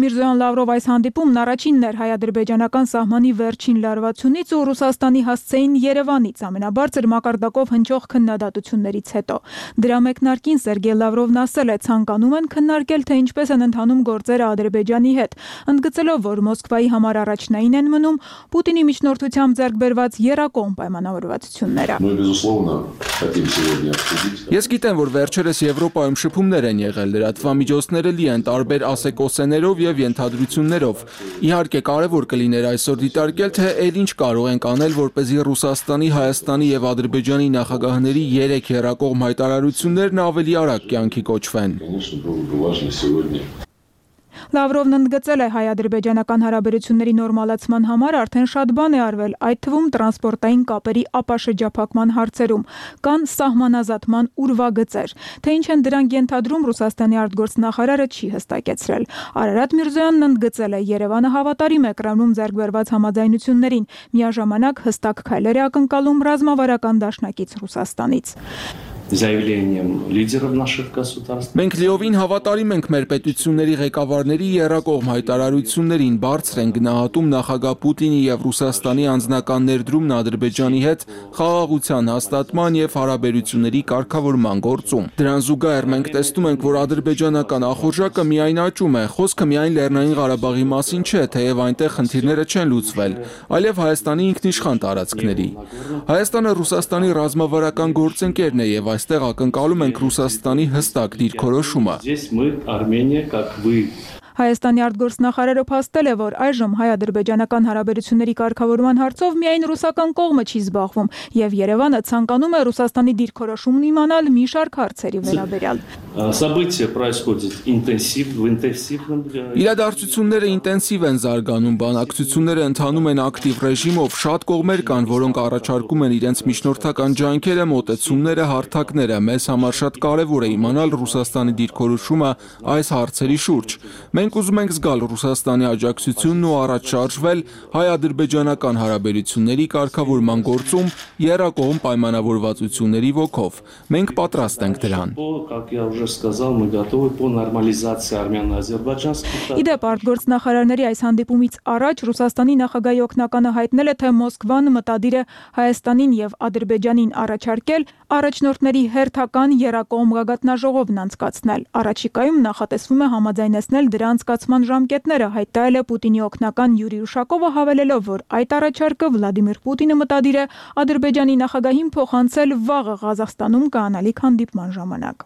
Միրզոյան-Լավրով այս հանդիպումն առաջինն էր հայ-ադրբեջանական սահմանի վերջին լարվածությունից ու Ռուսաստանի հասցեին Երևանից ամենաբարձր մակարդակով հնչող քննադատություններից հետո։ Դրա մեկնարկին Սերգեյ Լավրովն ասել է, ցանկանում են քննարկել, թե ինչպես են ընթանում գործերը Ադրբեջանի հետ, ընդգծելով, որ Մոսկվայի համար առաջնային են մնում Պուտինի միջնորդությամբ ձեռք բերված եռակողմ պայմանավորվածությունները։ Ես գիտեմ, որ վերջերս Եվրոպայում շփումներ են եղել, լրատվամիջոցները լի են տարբեր ասեկոսեներով եւ ենթադրություններով։ Իհարկե կարևոր կլիներ այսօր դիտարկել, թե ել ինչ կարող ենք անել, որպեսզի Ռուսաստանի, Հայաստանի եւ Ադրբեջանի նախագահների երեք եռակողմ հայտարարություններն ավելի արագ կյանքի կոչվեն։ Լավրովն ընդգծել է, հայ-ադրբեջանական հարաբերությունների նորմալացման համար արդեն շատ բան է արվել, այդ թվում տրանսպորտային կապերի ապաշրջափակման հարցերում, կան սահմանազատման ուրվագծեր, թե ինչ են դրանք ենթադրում Ռուսաստանի արտգործնախարարը չի հստակեցրել։ Արարատ Միրզոյանն ընդգծել է, Երևանը հավատարիմ է Կրեմլում ձեռք բերված համաձայնություններին, միաժամանակ հստակ քայլեր է ակնկալում ռազմավարական դաշնակից Ռուսաստանից։ Մենք լիովին հավատարիմ ենք մեր պետությունների ղեկավարների եռակողմ հայտարարություններին, բարձր են գնահատում նախագահ Պուտինի եւ Ռուսաստանի անձնական ներդրումն Ադրբեջանի հետ խաղաղության հաստատման եւ հարաբերությունների կարգավորման գործում։ Դրան զուգահեռ մենք տեսնում ենք, որ ադրբեջանական ախորժակը միայն աճում է, խոսքը միայն Լեռնային Ղարաբաղի մասին չէ, թեև այնտեղ խնդիրները չեն լուծվել, այլև Հայաստանի ինքնիշխան տարածքների։ Հայաստանը Ռուսաստանի ռազմավարական գործընկերն է եւ այստեղ ակնկալում ենք Ռուսաստանի հստակ դիրքորոշումը։ Հայաստանի արտգործնախարարը փաստել է, որ այժմ հայ-ադրբեջանական հարաբերությունների կարգավորման հարցով միայն ռուսական կողմը չի զբաղվում, եւ Երևանը ցանկանում է Ռուսաստանի դիրքորոշումն իմանալ մի շարք հարցերի վերաբերյալ։ Իրադարձությունները ինտենսիվ են զարգանում, բանակցությունները ընթանում են ակտիվ ռեժիմով, շատ կողմեր կան, որոնք առաջարկում են իրենց միջնորդական ջանքերը, մոտեցումները, հարթակները։ Մեզ համար շատ կարևոր է իմանալ Ռուսաստանի դիրքորոշումը այս հարցերի շուրջ։ Մենք ուզում ենք զգալ Ռուսաստանի աջակցությունն ու առաջ շարժվել հայ-ադրբեջանական հարաբերությունների կարգավորման գործում եռակողմ պայմանավորվածությունների ոգով։ Մենք պատրաստ ենք դրան։ Իդեպ արտգործնախարարների այս հանդիպումից առաջ Ռուսաստանի նախագահի օգնականը հայտնել է, թե Մոսկվան մտադիր է Հայաստանին եւ Ադրբեջանին առաջարկել առաջնորդների հերթական եռակողմ գագաթնաժողովն անցկացնել։ Առաջիկայում նախատեսվում է համաձայնեցնել դրա անցկացման ժամկետները, հայտարարել է Պուտինի օգնական Յուրի Ուշակովը, հավելելով, որ այդ առաջարկը Վլադիմիր Պուտինը մտադիր է Ադրբեջանի նախագահին փոխանցել վաղը Ղազախստանում կայանալիք հանդիպման ժամանակ։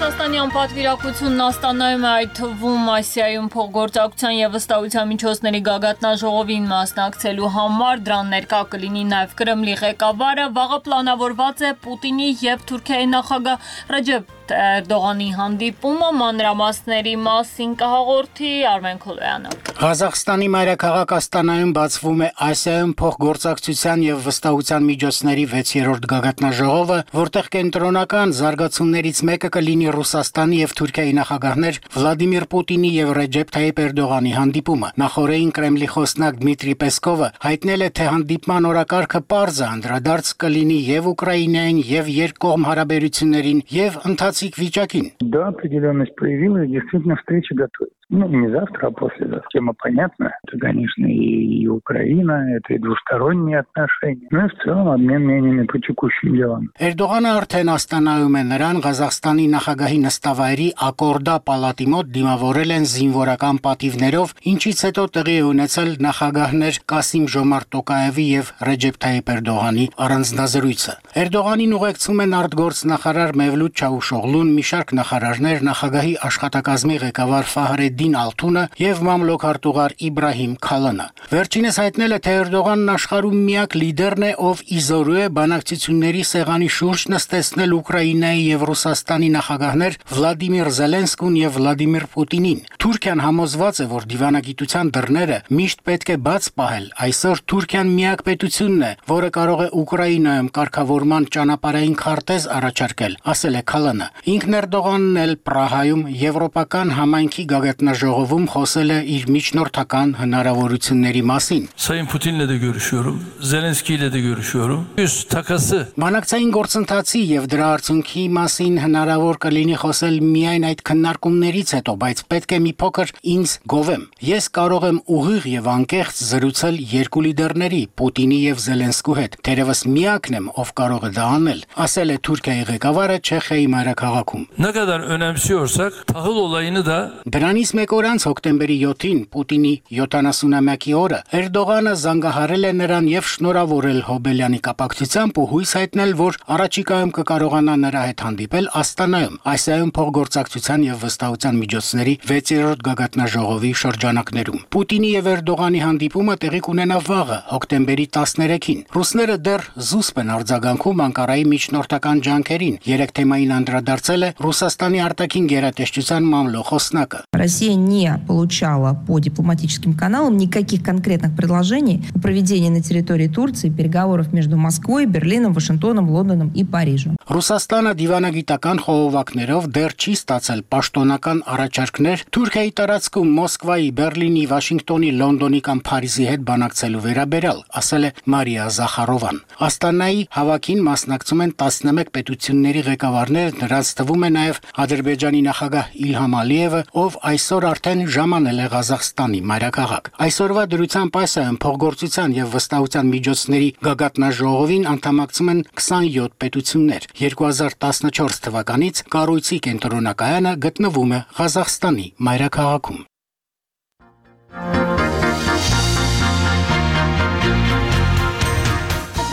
Ռուսաստանի անպատվիրակությունն Աստանայում է, այդ թվում Ասիայում փոխգործակցության եւ վստահության միջոցների գագաթնաժողովին մասնակցելու համար, դրան ներկա կլինի նաեւ Կրեմլի ղեկավարը, վաղը պլանավորված է Պուտինի եւ Թուրքիայի նախագահ Ռեջեփ Էրդողանի հանդիպումը, մանրամասների մասին կհաղորդի Արմեն Քոլոյանը։ Ղազախստանի մայրաքաղաք Աստանայում բացվում է Ասիայում փոխգործակցության եւ վստահության միջոցների վեցերորդ գագաթնաժողովը, որտեղ կենտրոնական զարգացումներից մեկը կլինի Ռուսաստանի եւ Թուրքիայի նախագահներ Վլադիմիր Պուտինի եւ Ռեջեփ Թայիփ Էրդողանի հանդիպումը։ Նախորդին Կրեմլի խոսնակ Դմիտրի Պեսկովը հայտնել է, թե հանդիպման օրակարգը պարզ է, անդրադարձ կլինի եւ Ուկրաինային եւ երկկողմ հարաբերություններին եւ ընթացիկ վիճակին։ Да, определенность появилась, действительно встреча готовится. Ну, не завтра, а послезавтра. Тема понятна. Это, конечно, и Украина, это и двусторонние отношения. Ну и в целом обмен мнениями по текущим делам. Էրդողանը արդեն Աստանայում է, նրան Ղազախստանի նախագահի նստավայրի Ակորդա պալատի մոտ դիմավորել են զինվորական պատիվներով, ինչից հետո տեղի է ունեցել նախագահներ Կասիմ Ժոմարտ Տոկաևի եւ Ռեջեփ Թայիփ Էրդողանի առանձնազրույցը։ Էրդողանին ուղեկցում են արտգործնախարար Մևլութ Չավուշօղլուն, մի շարք նախարարներ, նախագահի աշխատակազմի ղեկավար Ֆահրեդին Ֆեհրեդդին Ալթունը եւ մամլոք-արտուղար Իբրահիմ Քալանը։ Վերջինս հայտնել է, թե Էրդողանն աշխարհում միակ լիդերն է, ով իզորու է բանակցությունների սեղանի շուրջ նստեցնել Ուկրաինայի եւ Ռուսաստանի նախագահներ Վլադիմիր Զելենսկուն եւ Վլադիմիր Պուտինին։ Թուրքիան համոզված է, որ դիվանագիտության դռները միշտ պետք է բաց պահել։ Այսօր Թուրքիան միակ պետությունն է, որը կարող է Ուկրաինայում կարգավորման ճանապարհային քարտեզ առաջարկել, ասել է Քալանը։ Ինքն Էրդողանն էլ Պրահայում եվրոպական համայնքի գագաթնաժողովում խոսել է իր միջնորդական հնարավորությունների մասին։ Sayın Putin'le de görüşüyorum, Zelenski'yle de görüşüyorum. Yüz takası. Բանակցային գործընթացի եւ դրա արդյունքի մասին հնարավոր կլինի խոսել միայն այդ քննարկումներից հետո, բայց պետք է մի փոքր ինձ գովեմ։ Ես կարող եմ ուղիղ եւ անկեղծ զրուցել երկու լիդերների՝ Պուտինի եւ Զելենսկու հետ։ Թերևս միակն եմ, ով կարող է դա անել, ասել է Թուրքիայի ղեկավարը Չեխիայի մայրաքաղաքում։ Ne kadar önemsiyorsak tahıl olayını da Դրանից մեկ օր անց հոկտեմբերի յոթին Պուտինի յոթանասունամյակի օրը Էրդողանը զանգահարել է նրան եւ շնորհավորել Հոբելյանի կապակցությամբ ու հույս հայտնել, որ առաջիկայում կկարողանա նրա հետ հանդիպել Աստանայում, Ասիայում փոխգործակցության եւ վստահության միջոցների վեցերորդ գագաթնաժողովի շրջանակներում։ Պուտինի եւ Էրդողանի հանդիպումը տեղի կունենա վաղը, հոկտեմբերի տասներեքին։ Ռուսները դեռ զուսպ են արձագանքում Անկարայի միջնորդական ջանքերին։ Երեք թեմային անդրադարձել է Ռուսաստանի արտաքին գերատեսչության մամլոխոսնակը։ Россия не получала по дипломатическим каналам никаких конкретных предложений о проведении на территории Турции переговоров между Москвой, Берлином, Вашингтоном, Лондоном и Парижем. Ռուսաստանը դիվանագիտական խողովակներով դեռ չի ստացել պաշտոնական առաջարկներ Թուրքիայի տարածքում Մոսկվայի, Բերլինի, Վաշինգտոնի, Լոնդոնի կամ Փարիզի հետ բանակցելու վերաբերյալ, ասել է Մարիա Զախարովան։ Աստանայի հավաքին մասնակցում են տասնմեկ պետությունների ղեկավարներ, նրանց թվում է նաև Ադրբեջանի նախագահ Իլհամ Ալիևը, ով այսօր արդեն ժամանել է Ղազախստանի մայրաքաղաք։ Այսօրվա դրությամբ Ասիայում փոխգործության եւ վստահության միջոցների գագաթնաժողովին անդամակցում են քսանյոթ պետություններ։ երկու հազար տասնչորս թվականից կառույցի կենտրոնակայանը գտնվում է Ղազախստանի մայրաքաղաքում։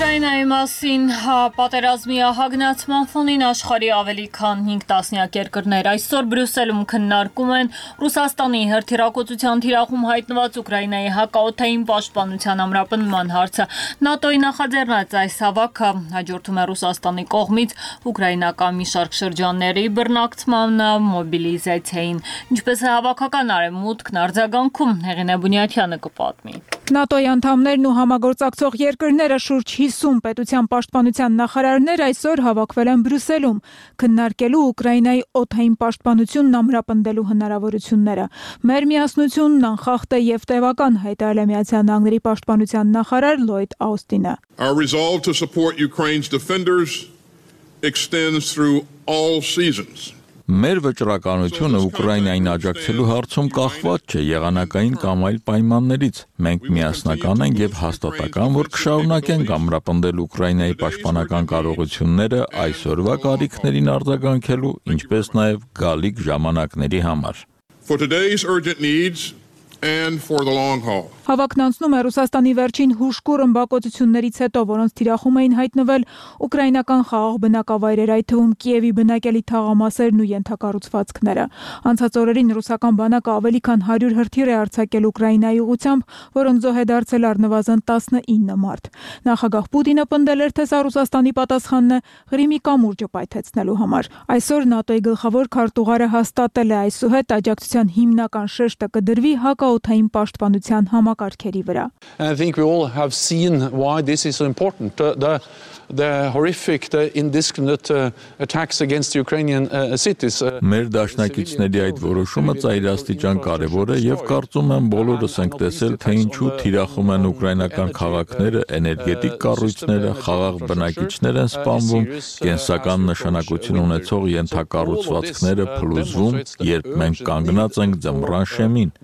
Ուկրաինայի մասին պատերազմի ահագնացման ֆոնին աշխարհի ավելի քան հինգ տասնյակ երկրներ այսօր Բրյուսելում քննարկում են Ռուսաստանի հրթիռակոծության թիրախում հայտնված Ուկրաինայի հակաօդային պաշտպանության ամրապնդման հարցը։ ՆԱՏՕ-ի նախաձեռնած այս հավաքը հաջորդում է Ռուսաստանի կողմից ուկրաինական մի շարք շրջանների բռնակցման մոբիլիզացիային։ Ինչպես է հավաքական արևմուտքն արձագանքում, Հեղինե Բունյաթյանը կպատմի։ ՆԱՏՕ-ի անդամներն ու համագործակցող երկրները շուրջ հիսուն պետության պաշտպանության նախարարներ այսօր հավաքվել են Բրյուսելում, քննարկելու Ուկրաինայի օդային պաշտպանությունն ամրապնդելու հնարավորությունները։ Մեր միասնությունն անխախտ է եւ տևական, հայտարարել է Միացյալ Նահանգների պաշտպանության նախարար Լոյդ Աուստինը։ Our resolve to support Ukraine's defenders extends through all seasons. Մեր վճռականությունը Ուկրաինային աջակցելու հարցում կախված չէ եղանակային կամ այլ պայմաններից։ Մենք միասնական ենք եւ հաստատական, որ կշարունակենք ամրապնդել Ուկրաինայի պաշտպանական կարողությունները այսօրվա կարիքներին արձագանքելու, ինչպես նաեւ գալիք ժամանակների համար։ For today's urgent needs and for the long haul. Հավաքն անցնում է Ռուսաստանի վերջին հուժկու ռմբակոծություններից հետո, որոնց թիրախում էին հայտնվել ուկրաինական խաղաղ բնակավայրեր, այդ թվում Կիևի բնակելի թաղամասերն ու ենթակառուցվածքները։ Անցած օրերին ռուսական բանակը ավելի քան հարյուր հրթիռ է արձակել Ուկրաինայի ուղղությամբ, որոնց զոհ է դարձել առնվազն տասնինը մարդ։ Նախագահ Պուտինը պնդել էր, թե սա Ռուսաստանի պատասխանն է Ղրիմի կամուրջը պայթեցնելու համար։ Այսօր ՆԱՏՕ-ի գլխավոր քարտուղարը հաստատել է այսուհետ աջակցության հիմնական շեշտը կդրվի հակաօդային պաշտպանության համակարգերի վրա։ I think we all have seen why this is so important. The, the, the horrific, the indiscriminate uh, attacks against Ukrainian uh, cities. Մեր դաշնակիցների այդ որոշումը ծայրաստիճան կարևոր է եւ կարծում եմ բոլորս ենք տեսել, թե ինչու թիրախում են ուկրաինական քաղաքները, էներգետիկ կառույցները, խաղաղ բնակիչներ են սպանվում, կենսական նշանակություն ունեցող ենթակառուցվածքները փլուզվում, երբ մենք կանգնած ենք ձմռան շեմին։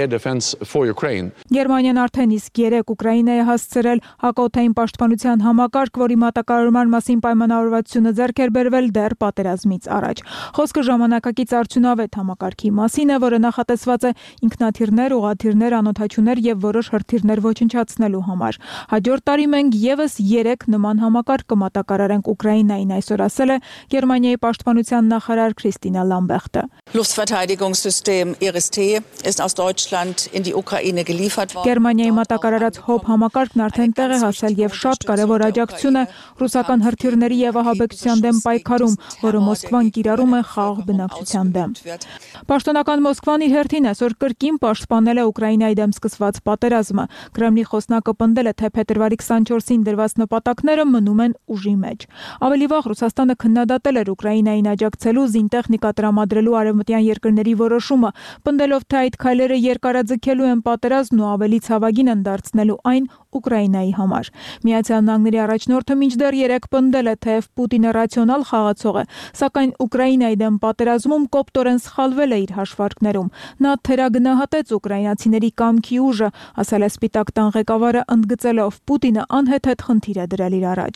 air defense for Ukraine. Գերմանիան արդեն իսկ երեք Ուկրաինայի հասցրել հակաօդային պաշտպանության համակարգ, որի մատակարարման մասին պայմանավորվածությունը ձեռք էր բերվել դեռ պատերազմից առաջ։ Խոսքը ժամանակակից արդյունավետ համակարգի մասին է, որը նախատեսված է ինքնաթիռներ, ուղղաթիռներ, անօդաչուներ եւ որոշ հրթիռներ ոչնչացնելու համար։ Հաջորդ տարի մենք եւս երեք նման համակարգ կմատակարարենք Ուկրաինային, այսօր ասել է Գերմանիայի պաշտպանության նախարար Քրիստինա Լամբերտը։ Luftverteidigungssystem I R S T ist aus Deutschland in die Ukraine geliefert worden. Գերմանիայի մատակարարած հոբ համակարգն արդեն տեղ է հասել եւ շատ կարեւոր աջակցություն է ռուսական հրթիռների եւ ահաբեկչության դեմ պայքարում, որը Մոսկվան կիրառում է խաղաղ բնակչության դեմ։ Պաշտոնական Մոսկվան իր հերթին այսօր կրկին պաշտպանել է Ուկրաինայի դեմ սկսված պատերազմը։ Կրեմլի խոսնակը պնդել է, թե փետրվարի քսանչորսին դրված նպատակները մնում են ուժի մեջ։ Ավելի վաղ Ռուսաստանը քննադատել էր Ուկրաինային աջակցելու զինտեխնիկա տրամադրելու արևմտյան երկրների որոշումը, պնդելով, թե այդ քայլերը երկարաձգելու են պատերազմն ու ավելի ցավագին են դարձնելու այն Ուկրաինայի համար։ Միացյալ Նահանգների առաջնորդը մինչդեռ երեք պնդել է, թեև Պուտինը ռացիոնալ խաղացող է, սակայն Ուկրաինայի դեմ պատերազմում կոպտորեն սխալվել է իր հաշվարկներում։ Նա թերագնահատեց ուկրաինացիների կամքի ուժը, ասել է Սպիտակ տան ղեկավարը, ընդգծելով Պուտինը անհեթեթ խնդիր է դրել իր առաջ։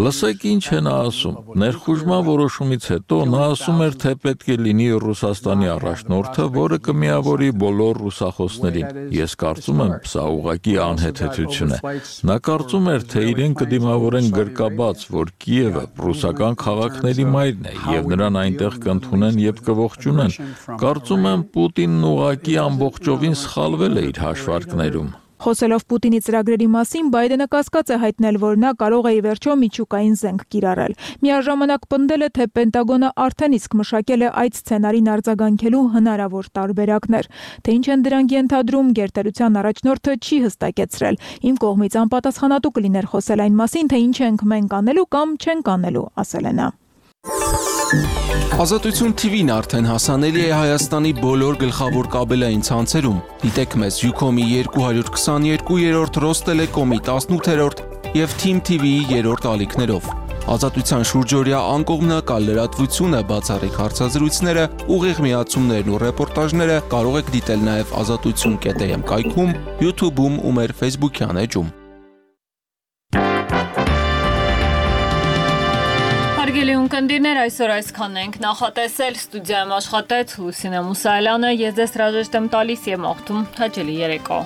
Լսեք ինչ է նա ասում։ Ներխուժման որոշումից հետո նա ասում էր, թե պետք է լինի Ռուսաստանի առաջնորդը, որը կմիավորի բոլոր ռուսախոսներին։ Ես կարծում եմ, սա ուղղակի անհեթեթություն է։ Նա կարծում էր, թե իրեն կդիմավորեն գրկաբաց, որ Կիևը ռուսական քաղաքների մայրն է եւ նրան այնտեղ կընդունեն եւ կողջունեն։ Կարծում եմ, Պուտինն ուղղակի ամբողջովին սխալվել է իր հաշվարկներում։ Խոսելով Պուտինի ծրագրերի մասին, Բայդենը կասկած է հայտնել, որ նա կարող է ի վերջո միջուկային զենք կիրառել։ Միաժամանակ պնդել է, թե Պենտագոնը արդեն իսկ մշակել է այդ սցենարին արձագանքելու հնարավոր տարբերակներ։ Թե ինչ են դրանք ենթադրում, գերտերության առաջնորդը չի հստակեցրել։ Իմ կողմից անպատասխանատու կլիներ խոսել այն մասին, թե ինչ ենք մենք անելու կամ չենք անելու, ասել է նա։ Ազատություն T V-ն արդեն հասանելի է Հայաստանի բոլոր գլխավոր կաբելային ցանցերում։ Դիտեք մեզ Ucom-ի երկու հարյուր քսաներկու, Ռոստելեկոմի տասնութերորդ եւ Team T V-ի երրորդ ալիքներով։ Ազատության շուրջօրյա անկողմնակալ լրատվությունը, բացառիկ հարցազրույցները, ուղիղ միացումներն ու ռեպորտաժները կարող եք դիտել նաեւ ազատություն կետ am կայքում, YouTube-ում ու մեր Facebook-յան էջում։ Հարգելի ունկնդիրներ, այսօր այսքանն ենք նախատեսել, ստուդիայում աշխատեց Լուսինե Մուսայելյանը, ես ձեզ հրաժեշտ եմ տալիս եւ մաղթում հաճելի երեկո։